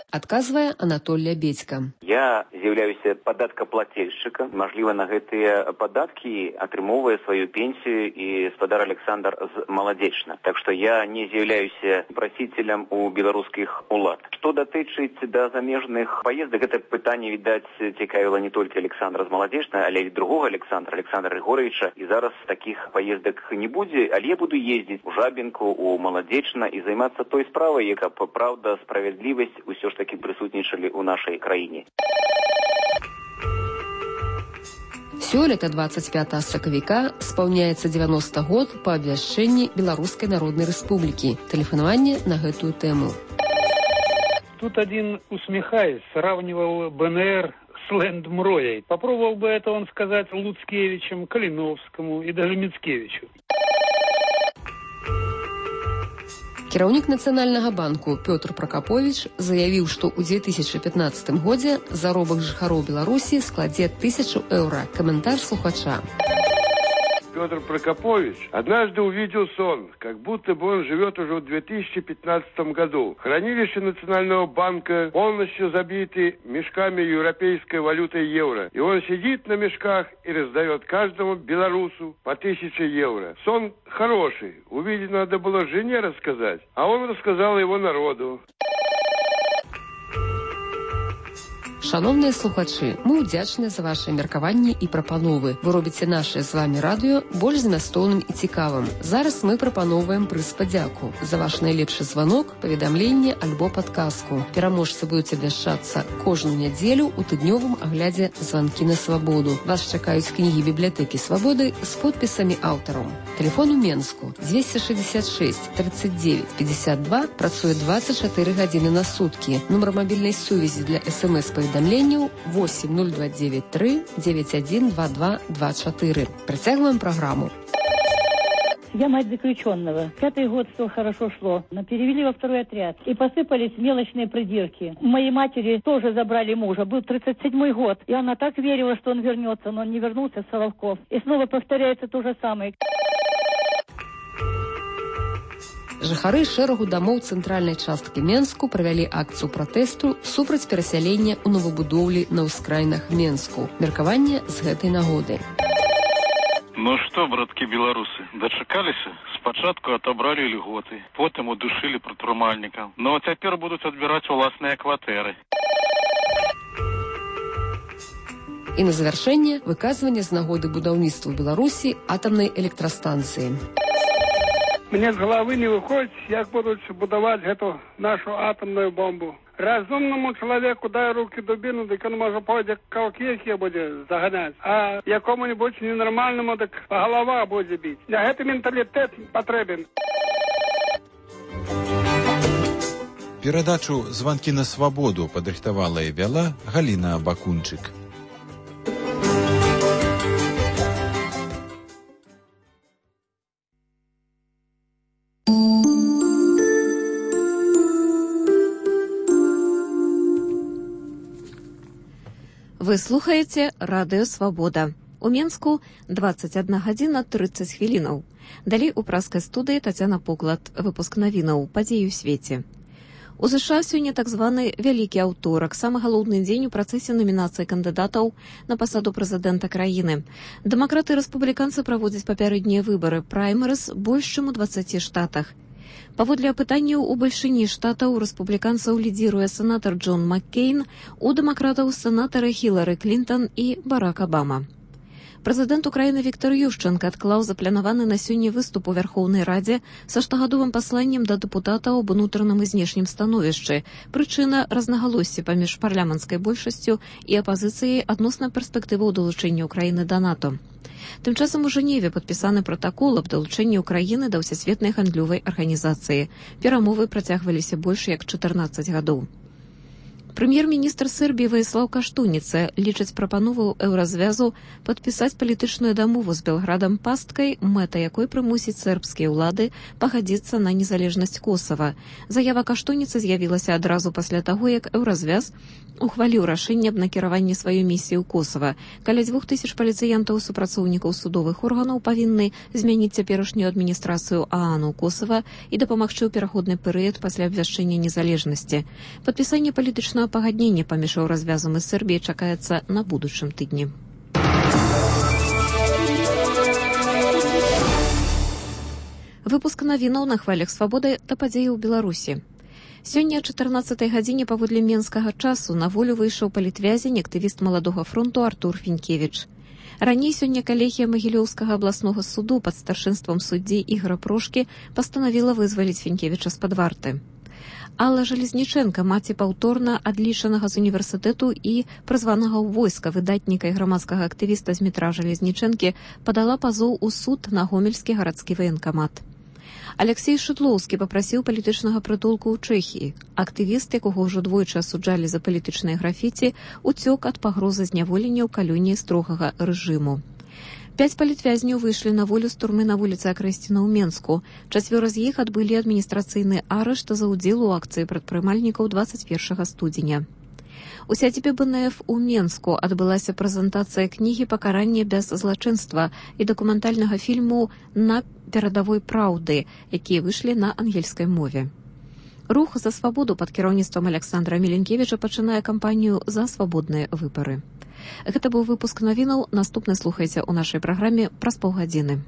[SPEAKER 24] Адказвае Анатоль Лябедзька.
[SPEAKER 8] Я з'яўляюся падаткаплательшчыкам. Мажліва, на гэтыя падаткі атрымоўвае сваю пенсію і спадар Александр з Маладзечна. Так што я не з'яўляюся прасіцелем у беларускіх улад. Што датычыць да замежных паездак, гэта пытанне, відаць, цікавіла не толькі Александра з Маладзечна, але і другога Александра Григоровича. І зараз такіх паездак не будзе, але я буду ездзіць у Жабінку, у Маладзечна і займацца той справай, яка праўда, справядлівасць усё ж такі прысутнічалі ў нашай краіне.
[SPEAKER 24] Сёлета 25 сакавіка спаўняецца 90 год па абвяшчэнні Беларускай Народнай Рэспублікі. Тэлефанаванне на гэтую тэму.
[SPEAKER 4] Тут один, усмехаясь, сравнивал БНР с Лэндмроей. Попробовал бы это он сказать Луцкевичем, Калиновскому и даже Мицкевичу.
[SPEAKER 24] Кіраўнік Нацыянальнага банку Пётр Пракаповіч заявіў, што ў 2015 годзе заробак жыхароў Беларусі складзе 1000 еўра. Каментар слухача.
[SPEAKER 27] Петр Прокопович однажды увидел сон, как будто бы он живет уже в 2015 году. Хранилище Национального банка полностью забиты мешками европейской валюты евро. И он сидит на мешках и раздает каждому белорусу по 1000 евро. Сон хороший. Увидеть надо было жене рассказать, а он рассказал его народу.
[SPEAKER 24] Шановныя слухачы, мы ўдзячныя за вашыя меркаванні і прапановы. Вы робіце наше з вами радыё больш змястоўным і цікавым. Зараз мы прапаноўваем прыз падзяку за ваш найлепшы званок, паведамленне альбо падказку. Пераможцы будуць абвяшчацца кожную нядзелю ў тыднёвым аглядзе «Званкі на свабоду». Вас чакаюць кнігі бібліятэкі Свабоды з подпісамі аўтараў. Тэлефон у Менску 266 39 52, працуе 24 гадзіны на суткі. Нумар мабільнай сувязі для СМС-паведамленняў 80293 912224. Працягваем программу.
[SPEAKER 28] Я мать заключенного. 5-й год все хорошо шло, но перевели во 2-й отряд. И посыпались мелочные придирки. У моей матери тоже забрали мужа. Был 37-й год. И она так верила, что он вернется, но он не вернулся, Соловков. И снова повторяется то же самое.
[SPEAKER 24] Жыхары шэрагу дамоў цэнтральнай часткі Менску правялі акцыю пратэсту супраць перасялення ў новабудоўлі на ўскраінах Менску. Меркаванне з гэтай нагоды.
[SPEAKER 9] Ну что, братки белорусы, дочекались? Спочатку отобрали льготы, потом удушили притурмальникам. Но теперь будут отбирать властные квартиры.
[SPEAKER 24] І на завяршэнне выказванне з нагоды будаўніцтва ў Беларусі атамнай электрастанцыі.
[SPEAKER 10] Мне з галавы не выходзіць, як будуць будаваць гэту нашу атамную бомбу. Разумному чалавеку дай руки дубіну, дык он можа пойдзе каўкехі будзе заганяць, а якому-нибудь ненармальному дык па галава будзе біць. Для гэты менталітэт патрэбен.
[SPEAKER 1] Перадачу «Званкі на свабоду» падрыхтавала і вяла Галіна Бакунчык.
[SPEAKER 10] Вы слухаеце радыё «Свабода». У Менску 21 гадзіна 30 хвілінаў. Далей у праскай студыі Тацяна Поклад, выпуск навінаў, падзеі ў свеце. У США сёння так званы вялікі аўторак, самы галоўны дзень у працэсе намінацыі кандыдатаў на пасаду прэзідэнта краіны. Дэмакраты і рэспубліканцы праводзяць папярэднія выбары, праймерыз больш чым у 20 штатах. Паводле апытанняў у бальшыні штатаў рэспубліканцаў лідзіруе сенатар Джон Маккейн, у дэмакратаў сенатары Хілары Клінтон і Барак Абама. Прэзідэнт Украіны Віктор Ющенка адклаў запланаваны на сёння выступ у Вярхоўнай Радзе са штогадовым пасланнем да дэпутатаў аб унутраным і знешнім становішчы. Прычына – рознагалоссі паміж парламенцкай большасцю і апазіцыяй адносна перспектываў далучэння Украіны да НАТО. Тым часам у Жэневе падпісаны пратакол аб далучэнні Украіны да ўсесветнай гандлёвай арганізацыі. Перамовы працягваліся больш як 14 гадоў. Прэм'ер-міністр Сербіі Ваіслаў Каштуніца лічыць прапанову еўразвязу падпісаць палітычную дамову з Белградам пасткай, мэта якой прымусіць сербскія ўлады пагадзіцца на незалежнасць Косава. Заява Каштуніцы з'явілася адразу пасля таго, як еўразвяз ухваліў рашэнне аб накіраванні сваёй місіі ў Косава. Каля 2000 паліцыянтаў супрацоўнікаў судовых органаў павінны змяніць цяперашнюю адміністрацыю ААН у Косава і дапамагчы ў пераходны перыяд пасля абвяшчэння незалежнасці. Падпісанне палітычнага пагаднення паміж еўразвязам і Сербіяй чакаецца на будучым тыдні. Выпуск навінаў на хвалях свабоды да падзеі ў Беларусі. Сёння о 14 гадзіне паводле менскага часу на волю выйшаў палітвязень, актывіст маладога фронту Артур Фінкевіч. Раней сёння калегія Магілёўскага абласнога суду пад старшынствам суддзі Ігора Прошкі пастанавіла вызваліць Фінкевіча з-пад варты. Алла Жалезніченка, маці паўторна адлічанага з універсітэту і прызванага ў войска выдатніка і грамадскага актывіста з метра Жалезнічэнкі, падала пазоў у суд на гомельскі гарадскі ваенкамат. Алексей Шыдлоўскі папрасіў палітычнага прытулку ў Чэхіі. Актывіст, якога ўжо двойчы асуджалі за палітычныя графіці, уцёк ад пагрозы зняволення ў калоніі строгага рэжыму. 5 палітвязняў выйшлі на волю з турмы на вуліцы Акрэсціна ў Менску. 4 з іх адбылі адміністрацыйны арышт за ўдзел у акцыі прадпрымальнікаў 21 студзеня. У сядзібе БНФ у Менску адбылася прэзентацыя кнігі «Пакаранне без злачынства» і дакументальнага фільму «На перадавой праўды», якія выйшлі на ангельскай мове. Рух за свабоду пад кіраўніцтвам Александра Міленкевіча пачынае кампанію за свабодныя выбары. Гэта быў выпуск навінаў. Наступны слухайце ў нашай праграме праз паўгадзіны.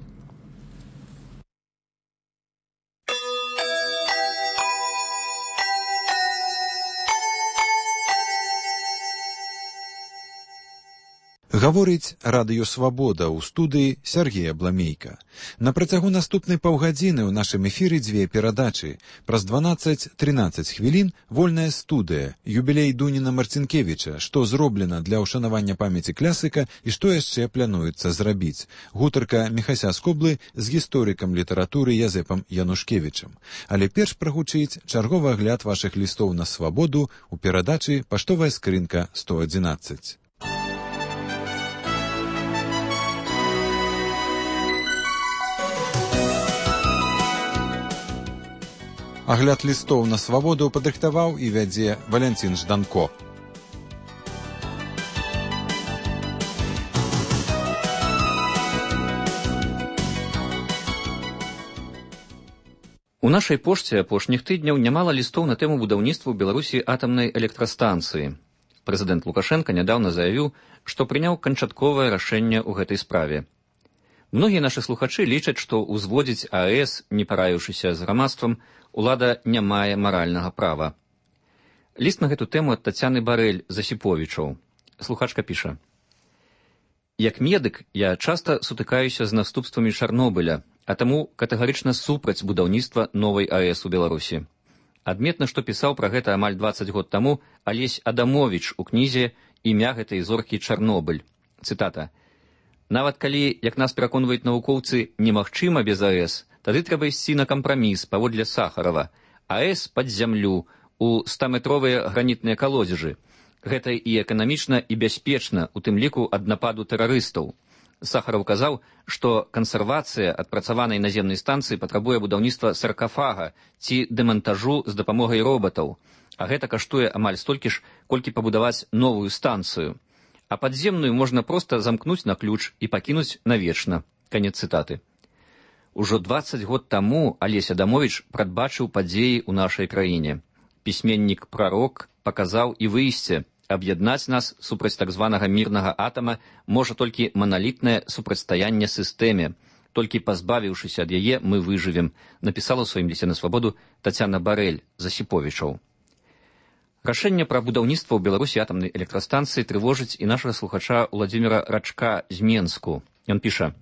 [SPEAKER 1] Гаворыць радыё «Свабода» ў студыі Сергея Бламейка. На працягу наступнай паўгадзіны ў нашым эфіры дзве перадачы. Праз 12-13 хвілін вольная студыя, юбілей Дуніна Марцінкевіча, што зроблена для ўшанавання памяці класіка і што яшчэ плануецца зрабіць. Гутарка Міхася Скоблы з гісторыкам літаратуры Язэпам Янушкевічам. Але перш прагучыць чарговы агляд вашых лістоў на свабоду ў перадачы «Паштовая скрынка 111». Агляд лістоў на свабоду падрыхтаваў і вядзе Валянцін Жданко.
[SPEAKER 11] У нашай пошце апошніх тыдняў нямала лістоў на тэму будаўніцтва ў Беларусі атамнай электрастанцыі. Прэзідэнт Лукашенка нядаўна заявіў, што прыняў канчатковае рашэнне ў гэтай справе. Многія нашы слухачы лічаць, што ўзводзіць АЭС, не параіўшыся з грамадствам, улада не мае маральнага права. Ліст на гэту тэму ад Тацяны Барэль з Асіповічаў. Слухачка піша: «Як медык я часта сутыкаюся з наступствамі Чарнобыля, а таму катэгарычна супраць будаўніцтва новай АЭС у Беларусі. Адметна, што пісаў пра гэта амаль 20 год таму Алесь Адамовіч у кнізе «Імя гэтай зоркі Чарнобыль». Цытата: «Нават калі, як нас пераконваюць навукоўцы, немагчыма без АЭС, тады трэба ісці на кампраміс паводле Сахарова. АЭС пад зямлю, у 100-метровыя гранітныя калодзежы. Гэта і эканамічна, і бяспечна, у тым ліку ад нападу тэрарыстаў». Сахаров казаў, што кансервацыя адпрацаванай наземнай станцыі патрабуе будаўніцтва саркафага ці дэмантажу з дапамогай робатаў, а гэта каштуе амаль столькі ж, колькі пабудаваць новую станцыю. А падземную можна проста замкнуць на ключ і пакінуць навечна. Канец цытаты. Ужо 20 год таму Алесь Адамовіч прадбачыў падзеі ў нашай краіне. Пісьменнік-прарок паказаў і выйсце. Аб'яднаць нас супраць так званага мірнага атама можа толькі маналітнае супрацьстаянне сістэме. Толькі пазбавіўшыся ад яе, мы выжывем, напісала ў сваім лісце на свабоду Тацяна Барэль з Асіповічаў. Рашэнне пра будаўніцтва ў Беларусі атамнай электрастанцыі трывожыць і нашага слухача Уладзіміра Рачка з Менску. Ён піша: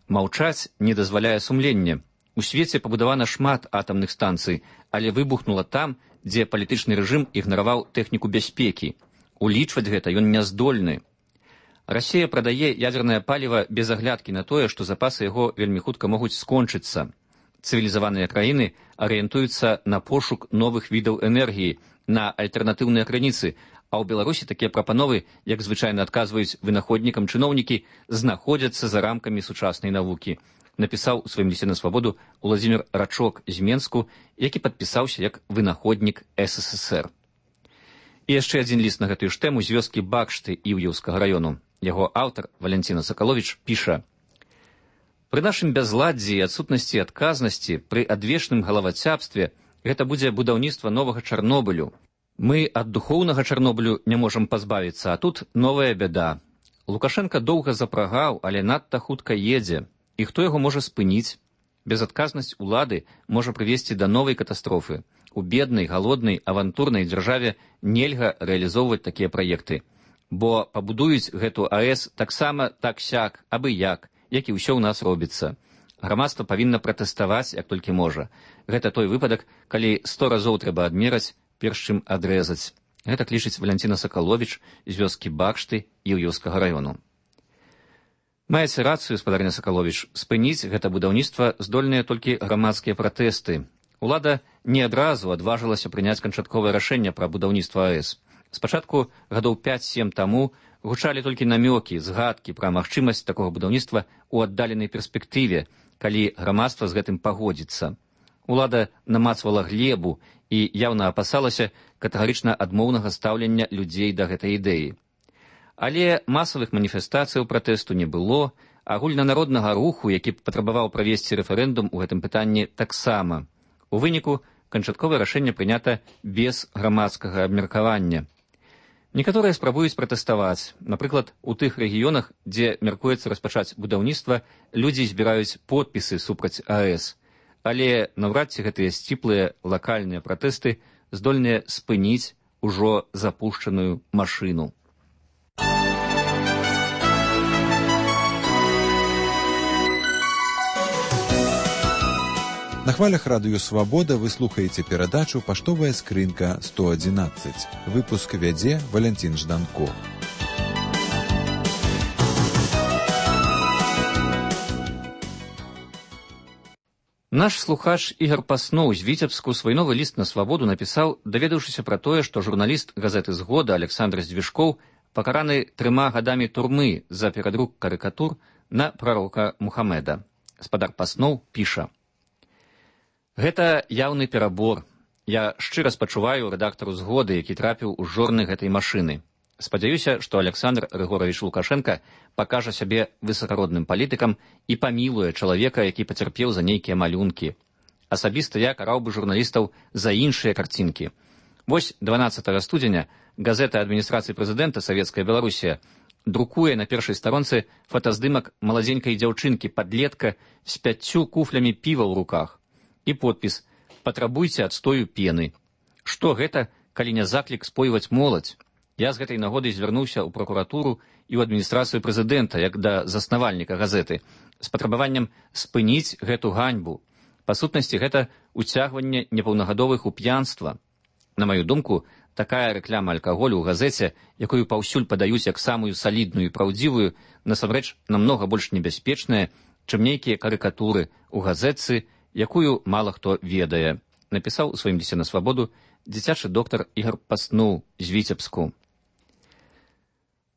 [SPEAKER 11] «Маўчаць не дазваляе сумленне. У свеце пабудавана шмат атамных станцый, але выбухнула там, дзе палітычны рэжым ігнараваў тэхніку бяспекі. Улічваць гэта ён не здольны. Расія прадае ядзернае паліва без аглядкі на тое, што запасы яго вельмі хутка могуць скончыцца. Цывілізаваныя краіны арыентуюцца на пошук новых відаў энергіі, на альтэрнатыўныя крыніцы, а ў Беларусі такія прапановы, як звычайна адказваюць вынаходнікам чыноўнікі, знаходзяцца за рамкамі сучаснай навукі», напісаў у сваім лісце на свабоду Уладзімір Рачок з Менску, які падпісаўся як вынаходнік СССР. І яшчэ адзін ліст на гэтую ж тэму з вёскі Бакшты Іўеўскага раёну. Яго аўтар Валянціна Сакаловіч піша: «Пры нашым бязладдзі і адсутнасці адказнасці, пры адвечным галавацябстве гэта будзе будаўніцтва новага Чарнобылю. Мы ад духоўнага Чарнобылю не можам пазбавіцца, а тут новая бяда. Лукашенка доўга запрагаў, але надта хутка едзе. І хто яго можа спыніць? Безадказнасць улады можа прывесці да новай катастрофы. У беднай, галоднай, авантурнай дзяржаве нельга рэалізоўваць такія праекты. Бо пабудуюць гэту АЭС таксама так-сяк, абы як і ўсё ў нас робіцца. Грамадства павінна пратэставаць, як толькі можа. Гэта той выпадак, калі 100 разоў трэба адмераць, перш чым адрэзаць». Гэта лічыць Валянціна Сакаловіч з вёскі Бакшты Іўеўскага раёну. Маеце рацыю, спадарня Сакаловіч, спыніць гэта будаўніцтва здольныя толькі грамадскія пратэсты. Улада не адразу адважылася прыняць канчатковае рашэнне пра будаўніцтва АЭС. Спачатку гадоў 5-7 таму гучалі толькі намёкі, згадкі пра магчымасць такога будаўніцтва ў аддаленай перспектыве, калі грамадства з гэтым пагодзіцца. Улада намацвала глебу і яўна апасалася катэгарычна адмоўнага стаўлення людзей да гэтай ідэі. Але масавых маніфестацыяў пратэсту не было, агульнанароднага руху, які патрабаваў правесці рэферэндум у гэтым пытанні, таксама. У выніку канчатковае рашэнне прынята без грамадскага абмеркавання. Некаторыя спрабуюць пратэставаць. Напрыклад, у тых рэгіёнах, дзе мяркуецца распачаць будаўніцтва, людзі збіраюць подпісы супраць АЭС. Але наўрад ці гэтыя сціплыя лакальныя пратэсты здольныя спыніць ужо запушчаную машыну.
[SPEAKER 1] На хвалях радыё «Свабода» вы слухаеце перадачу «Паштовая скрынка 111». Выпуск вядзе Валянцін Жданко.
[SPEAKER 11] Наш слухач Ігар Пасноў з Віцебску свой новы ліст на свабоду напісаў, даведаўшыся пра тое, што журналіст газеты «Згода» Александр Здвижкоў пакараны 3 гадамі турмы за перадрук карыкатур на прарока Мухаммеда. Спадар Пасноў піша: «Гэта яўны перабор. Я шчыра спачуваю рэдактару «Згоды», які трапіў у жорны гэтай машыны. Спадзяюся, што Александр Рыгорович Лукашенко пакажа сябе высакародным палітыкам і памілуе чалавека, які пацярпеў за нейкія малюнкі. Асабіста я караў бы журналістаў за іншыя карцінкі. Вось 12 студзеня газета адміністрацыі прэзідэнта «Савецкая Беларусія» друкуе на першай старонцы фотаздымак маладзенькай дзяўчынкі-падлетка з 5 куфлямі піва ў руках і подпіс «Патрабуйце адстою пены». Што гэта, калі не заклік спойваць моладзь? Я з гэтай нагодай звярнуўся ў пракуратуру і ў адміністрацыю прэзідэнта, як да заснавальніка газеты, з патрабаваннем спыніць гэту ганьбу. Па сутнасці, гэта уцягванне непаўнагадовых у п'янства. На маю думку, такая рэкляма алкаголю ў газеце, якую паўсюль падаюць як самую салідную і праўдзівую, насамрэч намнога больш небяспечная, чым нейкія карыкатуры ў газетцы, якую мала хто ведае, напісаў у сваім лісце на свабоду дзіцячы доктар Ігар Паснуў з Віцебску.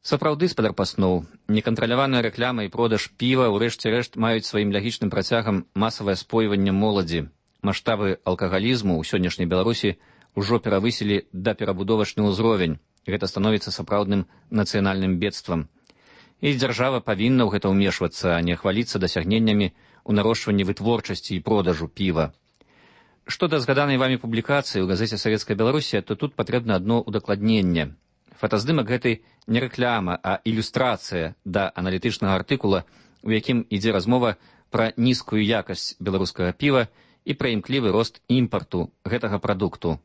[SPEAKER 11] Сапраўды, спадар Паснуў, некантраляваная рэкляма і продаж піва ў рэшце рэшт маюць сваім лагічным працягам масавае спойванне моладзі. Маштабы алкагалізму ў сённяшняй Беларусі ўжо перавысілі да перабудовачны ўзровень. Гэта становіцца сапраўдным нацыянальным бедствам. І дзяржава павінна ў гэта ўмешвацца, а не хваліцца дасягненнямі ў нарошчванні вытворчасці і продажу піва. Што да згаданай вамі публікацыі ў газеце «Савецкая Беларусія», то тут патрэбна адно ўдакладненне. Фотаздымак гэтай не рэкляма, а ілюстрацыя да аналітычнага артыкула, у якім ідзе размова пра нізкую якасць беларускага піва і пра імклівы рост імпарту гэтага прадукту.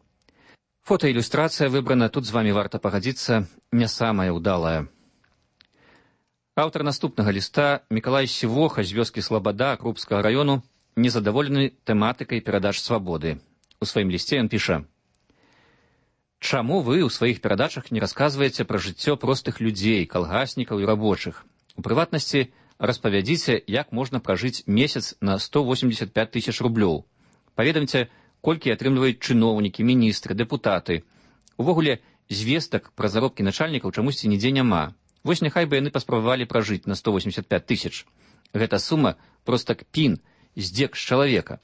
[SPEAKER 11] Фотаілюстрацыя выбрана, тут з вамі варта пагадзіцца, не самая ўдалая. Аўтар наступнага ліста, Мікалай Сівоха з вёскі Слабада Крупскага раёну, незадаволены тэматыкай перадач свабоды. У сваім лісце ён піша: «Чаму вы ў сваіх перадачах не расказваеце пра жыццё простых людзей, калгаснікаў і рабочых? У прыватнасці распавядзіце, як можна пражыць месяц на 185 000 рублёў. Паведамце, колькі атрымліваюць чыноўнікі, міністры, дэпутаты. Увогуле, звестак пра заробкі начальнікаў чамусьці нідзе няма. Вось няхай бы яны паспрабавалі пражыць на 185 000. Гэта сума проста кпін, здзек з чалавека.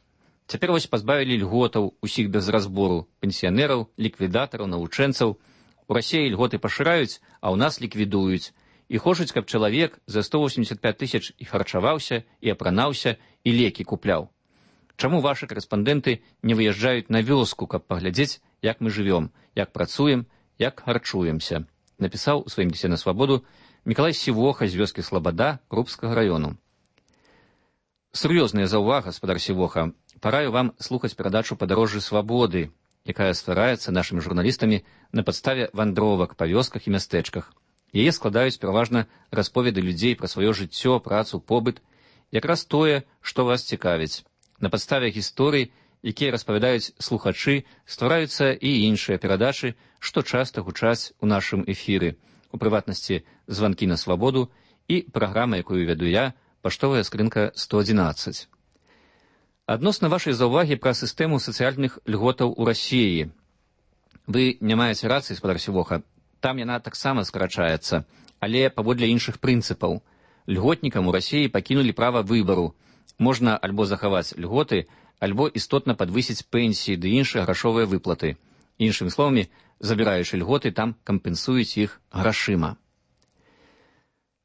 [SPEAKER 11] Цяпер вось пазбавілі льготаў усіх без разбору, пенсіянераў, ліквідатараў, навучэнцаў. У Расіі льготы пашыраюць, а ў нас ліквідуюць. І хочуць, каб чалавек за 185 000 і харчаваўся, і апранаўся, і лекі купляў. Чаму вашы карэспандэнты не выязджаюць на вёску, каб паглядзець, як мы жывём, як працуем, як харчуемся?» Напісаў у сваім лісце на свабоду Мікалай Сівоха з вёскі Слабада Крупскага раёну. Сур'ёзная заўвага, спадар Сівоха. Параю вам слухаць перадачу «Падарожжы свабоды», якая ствараецца нашымі журналістамі на падставе вандровак па вёсках і мястэчках. Яе складаюць пераважна расповеды людзей пра сваё жыццё, працу, побыт, якраз тое, што вас цікавіць. На падставе гісторый, якія распавядаюць слухачы, ствараюцца і іншыя перадачы, што часта гучаць у нашым эфіры, у прыватнасці «Званкі на свабоду» і праграма, якую вяду я, «Паштовая скрынка 111». Адносна вашай заўвагі пра сістэму сацыяльных льготаў у Расіі. Вы не маеце рацыі, спадар Сівоха. Там яна таксама скарачаецца, але паводле іншых прынцыпаў. Льготнікам у Расіі пакінулі права выбару. Можна альбо захаваць льготы, альбо істотна падвысіць пенсіі ды іншыя грашовыя выплаты. Іншымі словамі, забіраючы льготы, там кампенсуюць іх грашыма.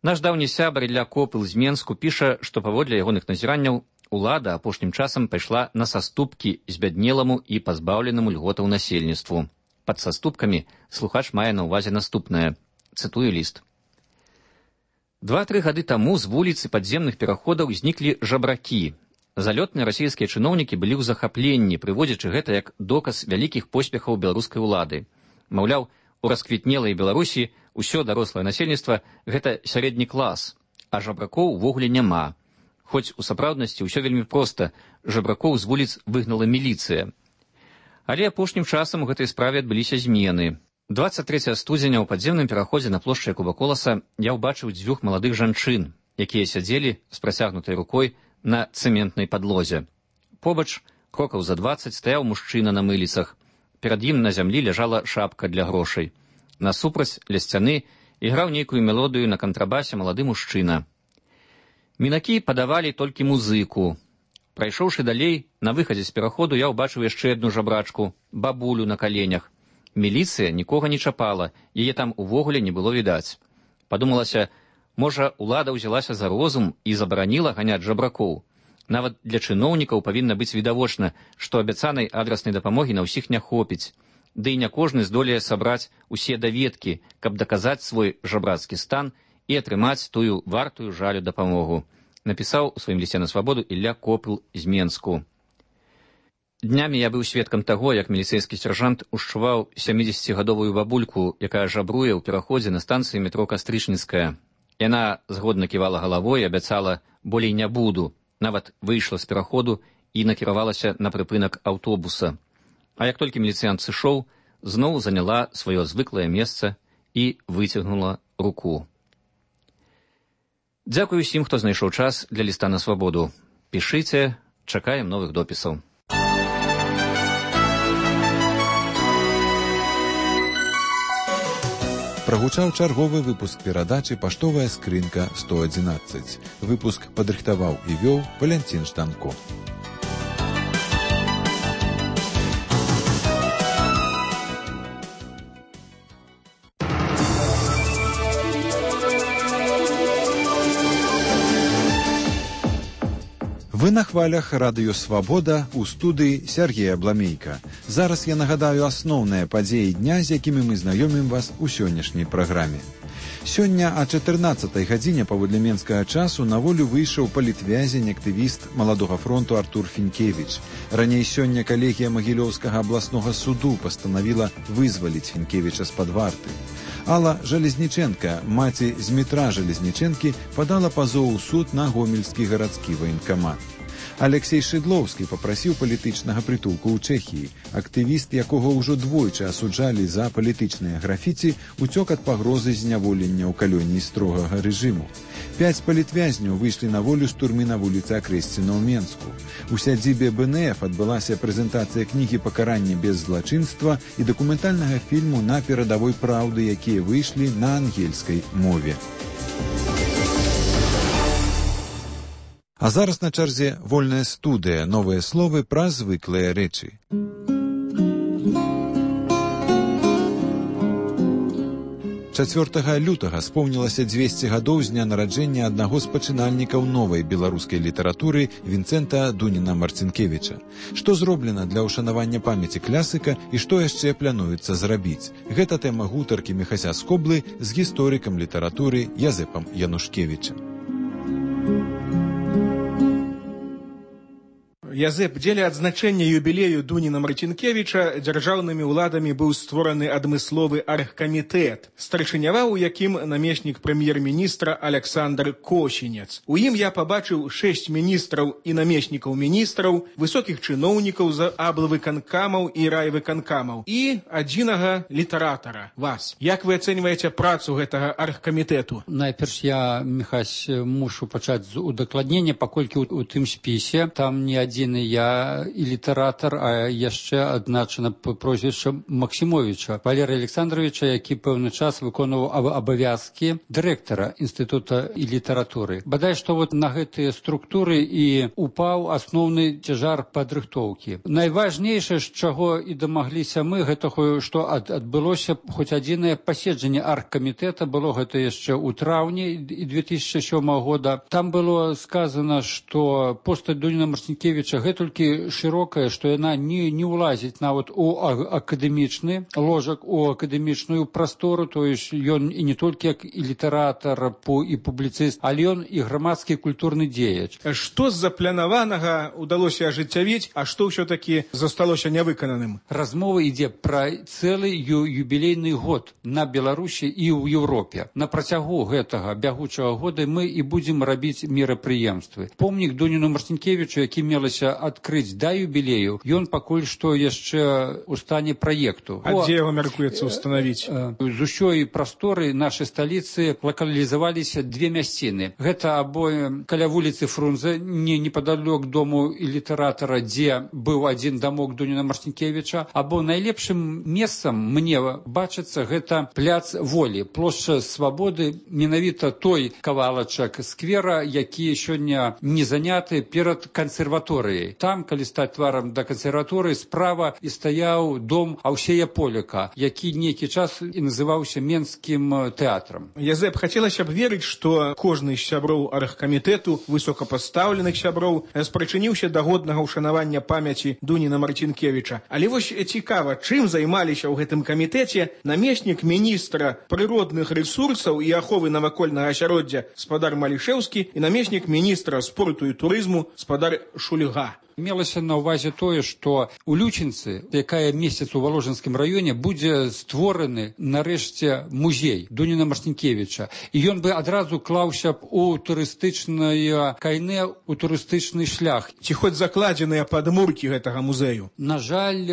[SPEAKER 11] Наш даўні сябар Ілля Копыл з Менску піша, што паводле ягоных назіранняў улада апошнім часам пайшла на саступкі збяднеламу і пазбаўленаму льготаў насельніцтву. Пад саступкамі слухач мае на ўвазе наступнае. Цытую ліст. 2-3 гады таму з вуліцы падземных пераходаў зніклі жабракі. Залётныя расійскія чыноўнікі былі ў захапленні, прыводзячы гэта як доказ вялікіх поспехаў беларускай улады. Маўляў, у расквітнелай Беларусі ўсё дарослае насельніцтва – гэта сярэдні клас, а жабракоў увогуле няма. Хоць у сапраўднасці ўсё вельмі проста, жабракоў з вуліц выгнала міліцыя. Але апошнім часам у гэтай справе адбыліся змены. 23 студзеня ў падземным пераходзе на плошчы Якуба Коласа я ўбачыў 2 маладых жанчын, якія сядзелі з працягнутай рукой на цэментнай падлозе. Побач, крокаў за 20, стаяў мужчына на мыліцах. Перад ім на зямлі ляжала шапка для грошай. Насупраць ля сцяны іграў нейкую мелодыю на кантрабасе малады мужчына. Мінакі падавалі толькі музыку. Прайшоўшы далей, на выхадзе з пераходу я ўбачыў яшчэ адну жабрачку, бабулю на каленях. Міліцыя нікога не чапала, яе там увогуле не было відаць. Падумалася, можа, улада ўзялася за розум і забараніла ганяць жабракоў. Нават для чыноўнікаў павінна быць відавочна, што абяцанай адраснай дапамогі на ўсіх не хопіць. Ды і не кожны здолее сабраць усе даведкі, каб даказаць свой жабрацкі стан і атрымаць тую вартую жалю дапамогу, напісаў у сваім лісце на свабоду Ілля Копыл з Менску. Днямі я быў сведкам таго, як міліцэйскі сяржант ушчуваў 70-гадовую бабульку, якая жабруе ў пераходзе на станцыі метро Кастрычніцкая. Яна згодна ківала галавой і абяцала «болей не буду», нават выйшла з пераходу і накіравалася на прыпынак аўтобуса. А як толькі міліцыянт сышоў, зноў заняла сваё звыклае месца і выцягнула руку. Дзякую усім, хто знайшоў час для ліста на свабоду. Пішыце, чакаем новых допісаў.
[SPEAKER 1] Прагучаў чарговы выпуск перадачы «Паштовая скрынка 111». Выпуск падрыхтаваў і вёў Валянцін Штанко. Вы на хвалях радыё «Свабода» у студыі Сергея Бламейка. Зараз я нагадаю асноўныя падзеі дня, з якімі мы знаёмім вас у сённяшняй праграме. Сёння о 14-й гадзіне паводле менскага часу на волю выйшаў палітвязень, актывіст Маладога фронту Артур Фінкевіч. Раней сёння калегія Магілёўскага абласнога суду пастанавіла вызваліць Фінкевіча з-пад варты. Алла Жалезніченка, маці Змітра Жалезніченкі, падала пазоў у суд на гомельскі гарадскі ваенкамат. Алексей Шыдлоўскі папрасіў палітычнага прытулку ў Чэхіі. Актывіст, якога ўжо двойчы асуджалі за палітычныя графіці, уцёк ад пагрозы зняволення ў калоніі строгага рэжыму. 5 палітвязняў выйшлі на волю з турмы на вуліцы Акрэсціна ў Менску. У сядзібе БНФ адбылася прэзентацыя кнігі «Пакаранне без злачынства» і дакументальнага фільму «На перадавой праўды», якія выйшлі на ангельскай мове. А зараз на чарзе вольная студыя, новыя словы пра звыклыя рэчы. 4 лютага спомнілася 200 гадоў з дня нараджэння аднаго з пачынальнікаў новай беларускай літаратуры Вінцэнта Дуніна-Марцінкевіча. Што зроблена для ўшанавання памяці класіка і што яшчэ плануецца зрабіць? Гэта тэма гутаркі Міхася Скоблы з гісторыкам літаратуры Язэпам Янушкевічам.
[SPEAKER 12] Язэп, дзеля адзначэння юбілею Дуніна Марцінкевіча дзяржаўнымі ўладамі быў створаны адмысловы аргкамітэт, старшыняваў у якім намеснік прэм'ер-міністра Аляксандр Косінец. У ім я пабачыў 6 міністраў і намеснікаў міністраў, высокіх чыноўнікаў з аблвыканкамаў і райвыканкамаў і адзінага літаратара, вас. Як вы ацэньваеце працу гэтага аргкамітэту?
[SPEAKER 13] Найперш я, Міхась, мушу пачаць з удакладнення, паколькі у тым спісе там не адзін я і літаратар, а яшчэ адзначана прозвішча Максімовіча Валерыя Александровича, які пэўны час выконваў абавязкі дырэктара інстытута і літаратуры. Бадай, што вот на гэтыя структуры і упаў асноўны цяжар падрыхтоўкі. Найважнейшае, з чаго і дамагліся мы, гэта што адбылося хоць адзінае паседжанне аргкамітэта, было гэта яшчэ ў траўні 2007 года. Там было сказана, што постаць Дуніна Марцінкевіча гэтулькі шырокая, што яна не ўлазіць нават у акадэмічны ложак, у акадэмічную прастору, то есть ён і не толькі як і літаратар, і публіцыст, але ён і грамадскі культурны дзеяч.
[SPEAKER 12] Што з запланаванага ўдалося ажыццявіць, а што ўсё-такі засталося нявыкананым?
[SPEAKER 13] Размова ідзе пра цэлы юбілейны год на Беларусі і ў Еўропе. На працягу гэтага бягучага года мы і будзем рабіць мерапрыемствы. Помнік Дуніну Марцінкевічу, які мелася адкрыць да юбілею, ён пакуль што яшчэ ў стане праекту.
[SPEAKER 12] А дзе яго мяркуецца ўстанавіць?
[SPEAKER 13] З усёй прасторы нашай сталіцы лакалізаваліся 2 мясціны. Гэта або каля вуліцы Фрунзе, непадалёк дому і літаратара, дзе быў адзін дамок Дуніна Марцінкевіча, або найлепшым месцам мне бачыцца гэта пляц Волі, плошча Свабоды, менавіта той кавалачак сквера, які сёння не заняты перад кансерваторыяй. кансерваторыяй. Там, калі стаць тварам да кансерваторыі, справа і стаяў дом Аўсея Поляка, які нейкі час і называўся Менскім тэатрам.
[SPEAKER 12] Язэп, хацелася б верыць, што кожны з сяброў аргкамітэту, высокапастаўленых сяброў, спрычыніўся да годнага ўшанавання памяці Дуніна Марцінкевіча. Але вось цікава, чым займаліся ў гэтым камітэце намеснік міністра прыродных рэсурсаў і аховы навакольнага асяроддзя спадар Малішэўскі і намеснік міністра спорту і турызму спадар Шульга.
[SPEAKER 13] Мелася на ўвазе тое, што у Лючынцы, якая месяц у Валожынскім раёне, будзе створаны нарэшце музей Дуніна Марцінкевіча. І ён бы адразу клаўся б у турыстычнае кайне, у турыстычны шлях.
[SPEAKER 12] Ці хоць закладзеныя падмуркі гэтага музею?
[SPEAKER 13] На жаль,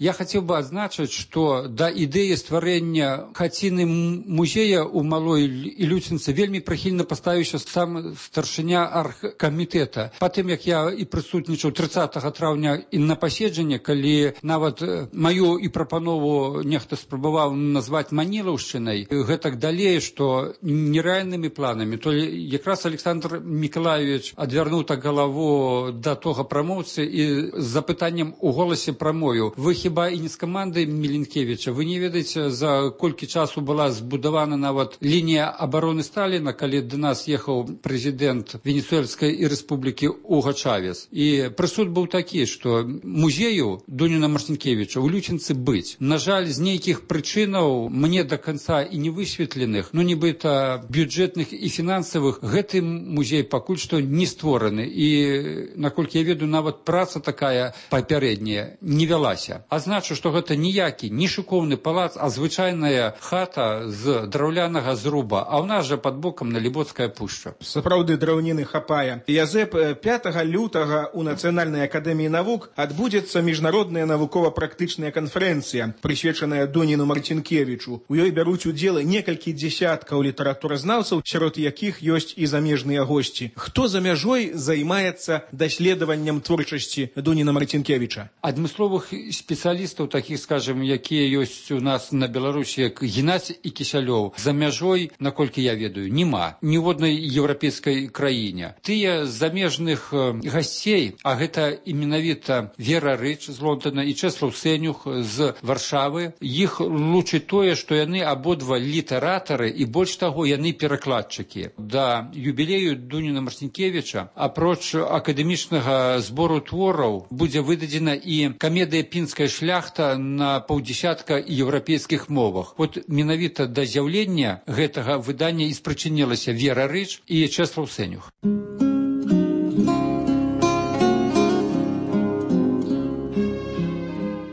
[SPEAKER 13] я хацеў бы адзначыць, што да ідэі стварэння хаціны музея ў Малой Лючынцы вельмі прыхільна паставіўся сам старшыня аргкамітэта. Патым, як я і прысутнічаў 30 траўня і на паседжанне, калі нават маю і прапанову нехта спрабаваў назваць Манілаўшчынай, гэтак далей, што нерэальнымі планамі, то якраз Александр Мікалаевич адвярнуў так галаву да тога прамоўцы і з запытаннем у голасе прамою: вы хіба і не з камандай Міленкевіча? Вы не ведаеце, за колькі часу была збудавана нават лінія абароны Сталіна, калі да нас ехаў прэзідэнт Венесуэльскай рэспублікі Уга Чавес. І прысуд быў такі, што музею Дуніна Марцінкевіча ў Лючынцы быць. На жаль, з нейкіх прычынаў, мне да канца і не высветленых, ну нібыта бюджэтных і фінансавых, гэты музей пакуль што не створаны. І, наколькі я ведаю, нават праца такая папярэдняя не вялася. А значу, што гэта ніякі, не шыкоўны палац, а звычайная хата з драўлянага зруба. А ў нас жа пад бокам Налібоцкая пушча.
[SPEAKER 12] Сапраўды драўніны хапае. Язэп, 5 лютага у Нацыянальнай акадэміі навук адбудзецца міжнародная навукова-практычная канферэнцыя, прысвечаная Дуніну Марцінкевічу. У ёй бяруць удзел некалькі дзесяткаў літаратуразнаўцаў, сярод якіх ёсць і замежныя госці. Хто за мяжой займаецца даследаваннем творчасці Дуніна Марцінкевіча?
[SPEAKER 13] Адмысловых спецыялістаў, такіх, скажем, якія ёсць у нас на Беларусі, як Геннадзь і Кісялёў, за мяжой, наколькі я ведаю, няма ні ў однай еўрапейскай краіне. Тыя замежных гасцей, а гэта і менавіта Вера Рыч з Лондона і Чэслаў Сэнюх з Варшавы, іх лучыць тое, што яны абодва літаратары і больш таго, яны перакладчыкі. Да юбілею Дуніна Марцінкевіча, апроч акадэмічнага збору твораў, будзе выдадзена і камедыя «Пінская шляхта» на паўдзесятка еўрапейскіх мовах. От менавіта да з'яўлення гэтага выдання і спрычынілася Вера Рыч і Чэслаў Сэнюх.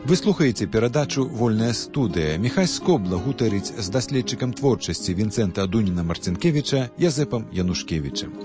[SPEAKER 1] Вы слухаеце перадачу «Вольная студыя». Міхась Скобла гутарыць з даследчыкам творчасці Вінцэнта Дуніна Марцінкевіча Язэпам Янушкевічам.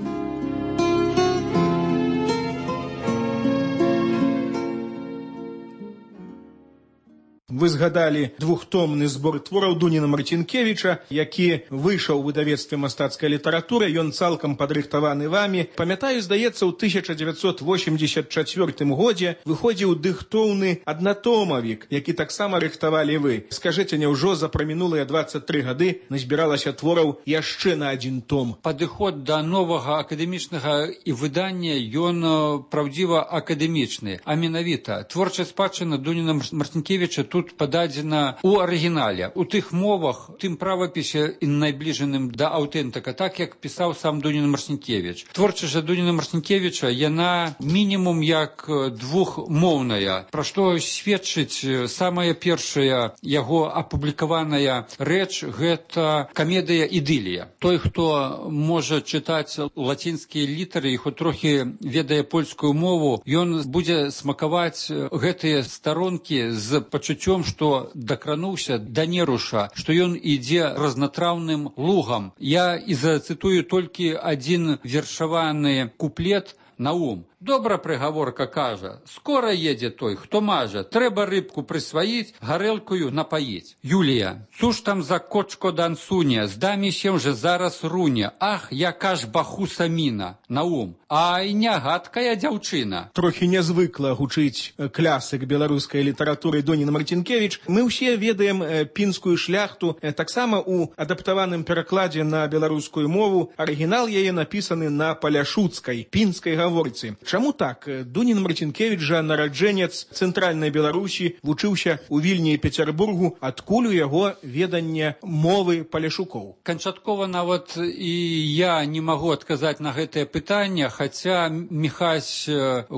[SPEAKER 12] Вы згадалі двухтомны збор твораў Дуніна Марцінкевіча, які выйшаў у выдавецтве мастацкай літаратуры, ён цалкам падрыхтаваны вамі. Памятаю, здаецца, у 1984 годзе выходзіў дыхтоўны аднатомавік, які таксама рыхтавалі вы. Скажыце, няўжо за прамінулыя 23 гады назбіралася твораў яшчэ на адзін том?
[SPEAKER 13] Падыход да новага акадэмічнага і выдання, ён праўдзіва акадэмічны. А менавіта, творчая спадчына Дуніна Марцінкевіча тут пададзена ў арыгінале, у тых мовах, тым правапісе найбліжаным да аўтэнтыка, так як пісаў сам Дунін Марцінкевіч. Творчасць жа Дуніна Марцінкевіча, яна мінімум як двухмоўная, пра што сведчыць самая першая яго апублікаваная рэч, гэта камедыя «Ідылія». Той, хто можа чытаць лацінскія літары і хоць трохі ведае польскую мову, ён будзе смакаваць гэтыя старонкі з пачуццём, што дакрануўся да неруша, што ён ідзе разнатраўным лугам. Я і зацытую толькі адзін вершаваны куплет на ум. Добра прыгаворка кажа, скора едзе той, хто мажа, трэба рыбку прысваіць, гарэлкаю напаіць. Юлія, цуж там за кочко дансуня, здамі сем же зараз руня, ах, яка ж бахуса міна, на ум. Ай, нягадкая дзяўчына.
[SPEAKER 12] Трохі нязвыкла гучыць клясык беларускай літаратуры Дуніна Марцінкевіч. Мы ўсе ведаем «Пінскую шляхту», таксама у адаптаваным перакладзе на беларускую мову. Арыгінал яе напісаны на паляшуцкай, пінскай гаворцы. Чаму так? Дунін Марцінкевіч жа нараджэнец цэнтральнай Беларусі, вучыўся ў Вільні і Пецярбургу, адкуль у яго веданне мовы паляшукоў.
[SPEAKER 13] Канчаткова нават і я не магу адказаць на гэтае пытанне, хаця Міхась,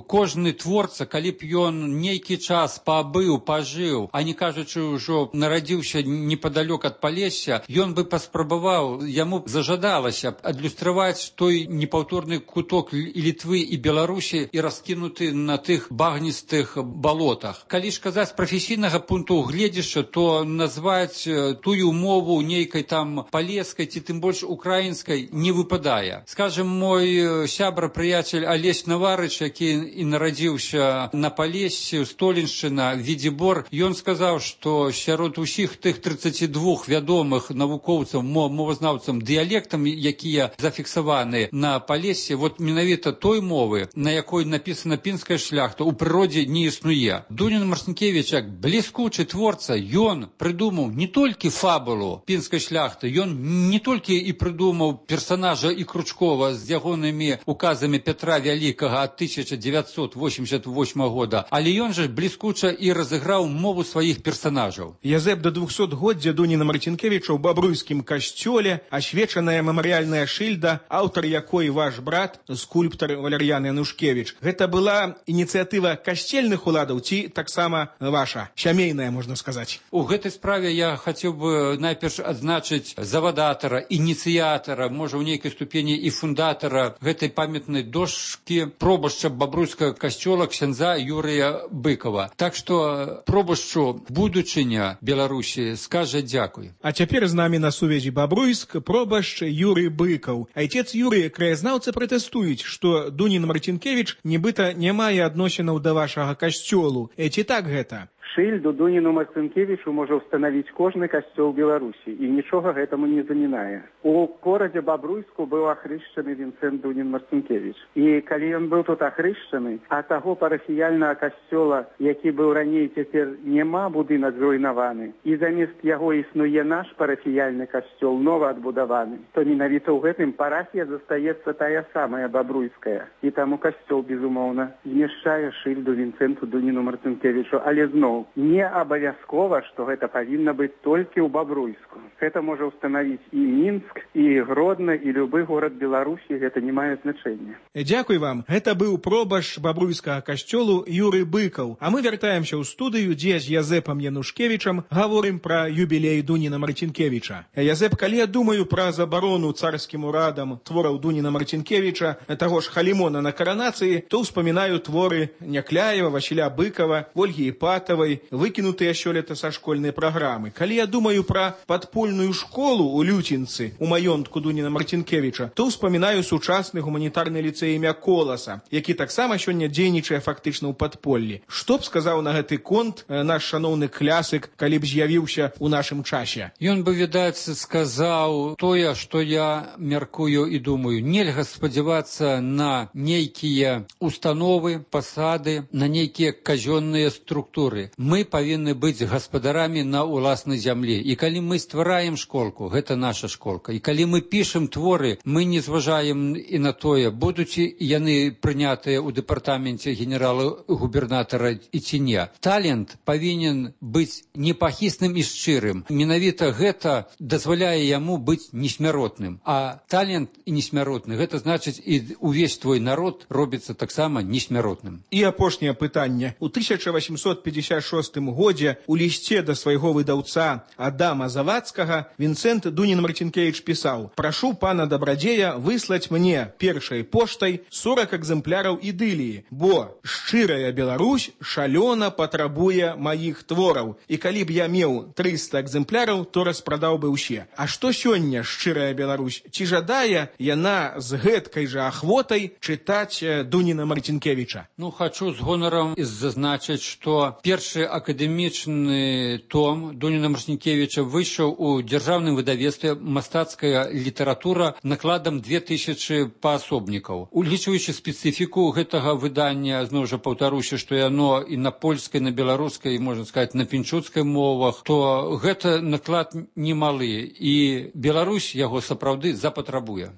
[SPEAKER 13] кожны творца, калі б ён нейкі час пабыў, пажыў, а не кажучы ўжо нарадзіўся непадалёк ад Палесся, ён бы паспрабаваў, яму зажадалася адлюстраваць той непаўторны куток і Літвы і Беларусі і раскінуты на тых багністых балотах. Калі ж казаць з прафесійнага пункту гледзяшча, то назваць тую мову нейкай там палескай ці тым больш украінскай не выпадае. Скажем, мой сябра-прыяцель Алесь Наварыч, які і нарадзіўся на Палессі, Століншчына, Відзібор, ён сказаў, што сярод усіх тых 32 вядомых навукоўцаў, мовазнаўцам дыялектам, якія зафіксаваны на Палессі, вот менавіта той мовы, на якой напісана пінская шляхта, у прыродзе не існуе. Дунін Марцінкевіч, як бліскучы творца, ён прыдумаў не толькі фабулу пінскай шляхты, ён не толькі і прыдумаў персонажа і Кручкова з ягонымі указамі Петра Вялікага ад 1988 года, але ён жа бліскуча і разыграў мову сваіх персонажаў.
[SPEAKER 12] Язэп да 200-годдзя Дуніна Марцінкевіча ў Бабруйскім касцёле, асвечаная мемарыяльная шыльда, аўтар якой ваш брат, скульптар Валер'ян Янушкевіч. Гэта была ініцыятыва касцельных уладаў ці таксама ваша, сямейная, можна сказаць?
[SPEAKER 13] У гэтай справе я хацеў бы найперш адзначыць завадатара, ініцыятара, можа ў нейкай ступені і фундатара гэтай памятнай дошкі пробашча Бабруйскага касцёла ксяндза Юрыя Быкова. Так што пробашчу будучыня Беларусі скажа дзякуй.
[SPEAKER 12] А цяпер з намі на сувязі Бабруйск пробашч Юрый Быкаў. Айцец Юрый, краязнаўцы пратэстуюць, што Дунін Марцінкевіч нібыта не мае адносінаў да вашага касцёлу. Ці так гэта?
[SPEAKER 14] Шыльду Дуніну Марцінкевічу можа ўстанавіць кожны касцёл Беларусі, і нічога гэтаму не замінае. У горадзе Бабруйску быў ахрышчаны Вінцэнт Дунін Марцінкевіч. І калі ён быў тут ахрышчаны, а таго парафіяльнага касцёла, які быў раней, цяпер няма, будынак зруйнаваны, і замест яго існуе наш парафіяльны касцёл, нова адбудаваны, то менавіта ў гэтым парафія застаецца тая самая Бабруйская. І таму касцёл, безумоўна, змяшчае шыльду Вінцэнту Дуніну Марцінкевічу, але зноў не абавязкова, што гэта павінна быць толькі ў Бабруйску. Гэта можа ўстанавіць і Мінск, і Гродна, і любы горад Беларусі, гэта не мае значэння.
[SPEAKER 12] Дзякуй вам. Гэта быў пробашч Бабруйскага касцёлу Юрый Быкаў. А мы вяртаемся ў студыю, дзе з Язэпам Янушкевічам гаворым пра юбілей Дуніна Марцінкевіча. Язэп, калі я думаю пра забарону царскім урадам твораў Дуніна Марцінкевіча, таго ж Халімона на каранацыі, то ўспамінаю творы Някляева, Васіля Быкава, Ольгі Іпатавай, выкінутыя сёлета са школьнай праграмы. Калі я думаю пра падпольную школу ў Люцінцы, у маёнтку Дуніна Марцінкевіча, то ўспамінаю сучасны гуманітарны ліцэй імя Коласа, які таксама сёння дзейнічае фактычна ў падполлі. Што б сказаў на гэты конт наш шаноўны клясык, калі б з'явіўся ў нашым часе?
[SPEAKER 13] Ён бы, відаць, сказаў тое, што я мяркую і думаю. Нельга спадзявацца на нейкія установы, пасады, на нейкія казённыя структуры. Мы павінны быць гаспадарамі на ўласнай зямлі. І калі мы ствараем школку, гэта наша школка. І калі мы пішам творы, мы не зважаем і на тое, будуць яны прынятыя ў дэпартаменце генерала-губернатара і ці не. Талент павінен быць непахісным і шчырым. Менавіта гэта дазваляе яму быць несмяротным. А талент і несмяротны, гэта значыць і увесь твой народ робіцца таксама несмяротным.
[SPEAKER 12] І апошняе пытанне. У 1856 годзе у лісце да свайго выдаўца Адама Завадскага Вінцэнт Дунін Марцінкевіч пісаў: «Прашу пана дабрадзея выслаць мне першай поштай 40 экземпляраў ідыліі, бо шчырая Беларусь шалёна патрабуе маіх твораў, і калі б я меў 300 экземпляраў, то распрадаў бы ўсе». А што сёння шчырая Беларусь? Ці жадае яна з гэткай жа ахвотай чытаць Дуніна Марцінкевіча?
[SPEAKER 13] Хачу з гонарам зазначыць, што першы акадэмічны том Дуніна Марцінкевіча выйшаў у дзяржаўным выдавецтве «Мастацкая літаратура» накладам 2000 паасобнікаў. Улічваючы спецыфіку гэтага выдання, зноў жа паўтаруся, што яно і на польскай, на беларускай, можна сказаць, на пінчуцкай мовах, то гэта наклад немалы, і Беларусь яго сапраўды запатрабуе.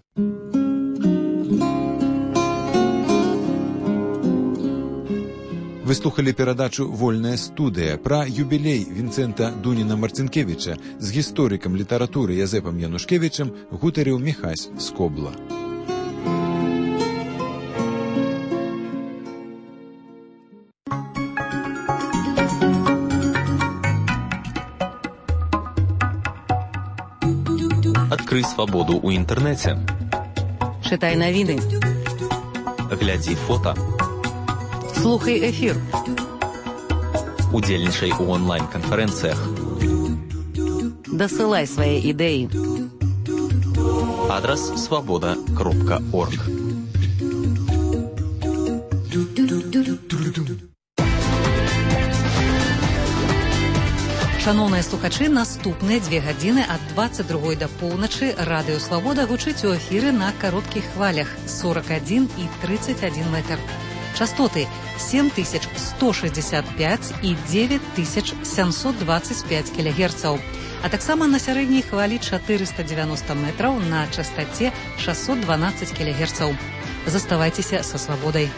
[SPEAKER 1] Вы слухали перадачу «Вольная студыя» пра юбілей Вінцэнта Дуніна-Марцінкевіча з гісторыкам літаратуры Язэпам Янушкевічам гутарыў Міхась Скобла.
[SPEAKER 25] Адкрый свабоду ў інтэрнэце.
[SPEAKER 15] Чытай навіны.
[SPEAKER 25] Глядзі фота.
[SPEAKER 15] Слухай эфір.
[SPEAKER 25] Удзельнічай у онлайн-канферэнцыях.
[SPEAKER 15] Дасылай свае ідэі.
[SPEAKER 25] Адрас свабода.орг.
[SPEAKER 15] Шановныя слухачы, наступныя 2 гадзіны ад 22 да поўначы радыё «Свабода» гучыць у эфіры на кароткіх хвалях 41 і 31 метр. Частоты 7165 і 9725 кГц, а таксама на сярэдняй хвалі 490 метраў на частаце 612 кГц. Заставайцеся са «Свабодай».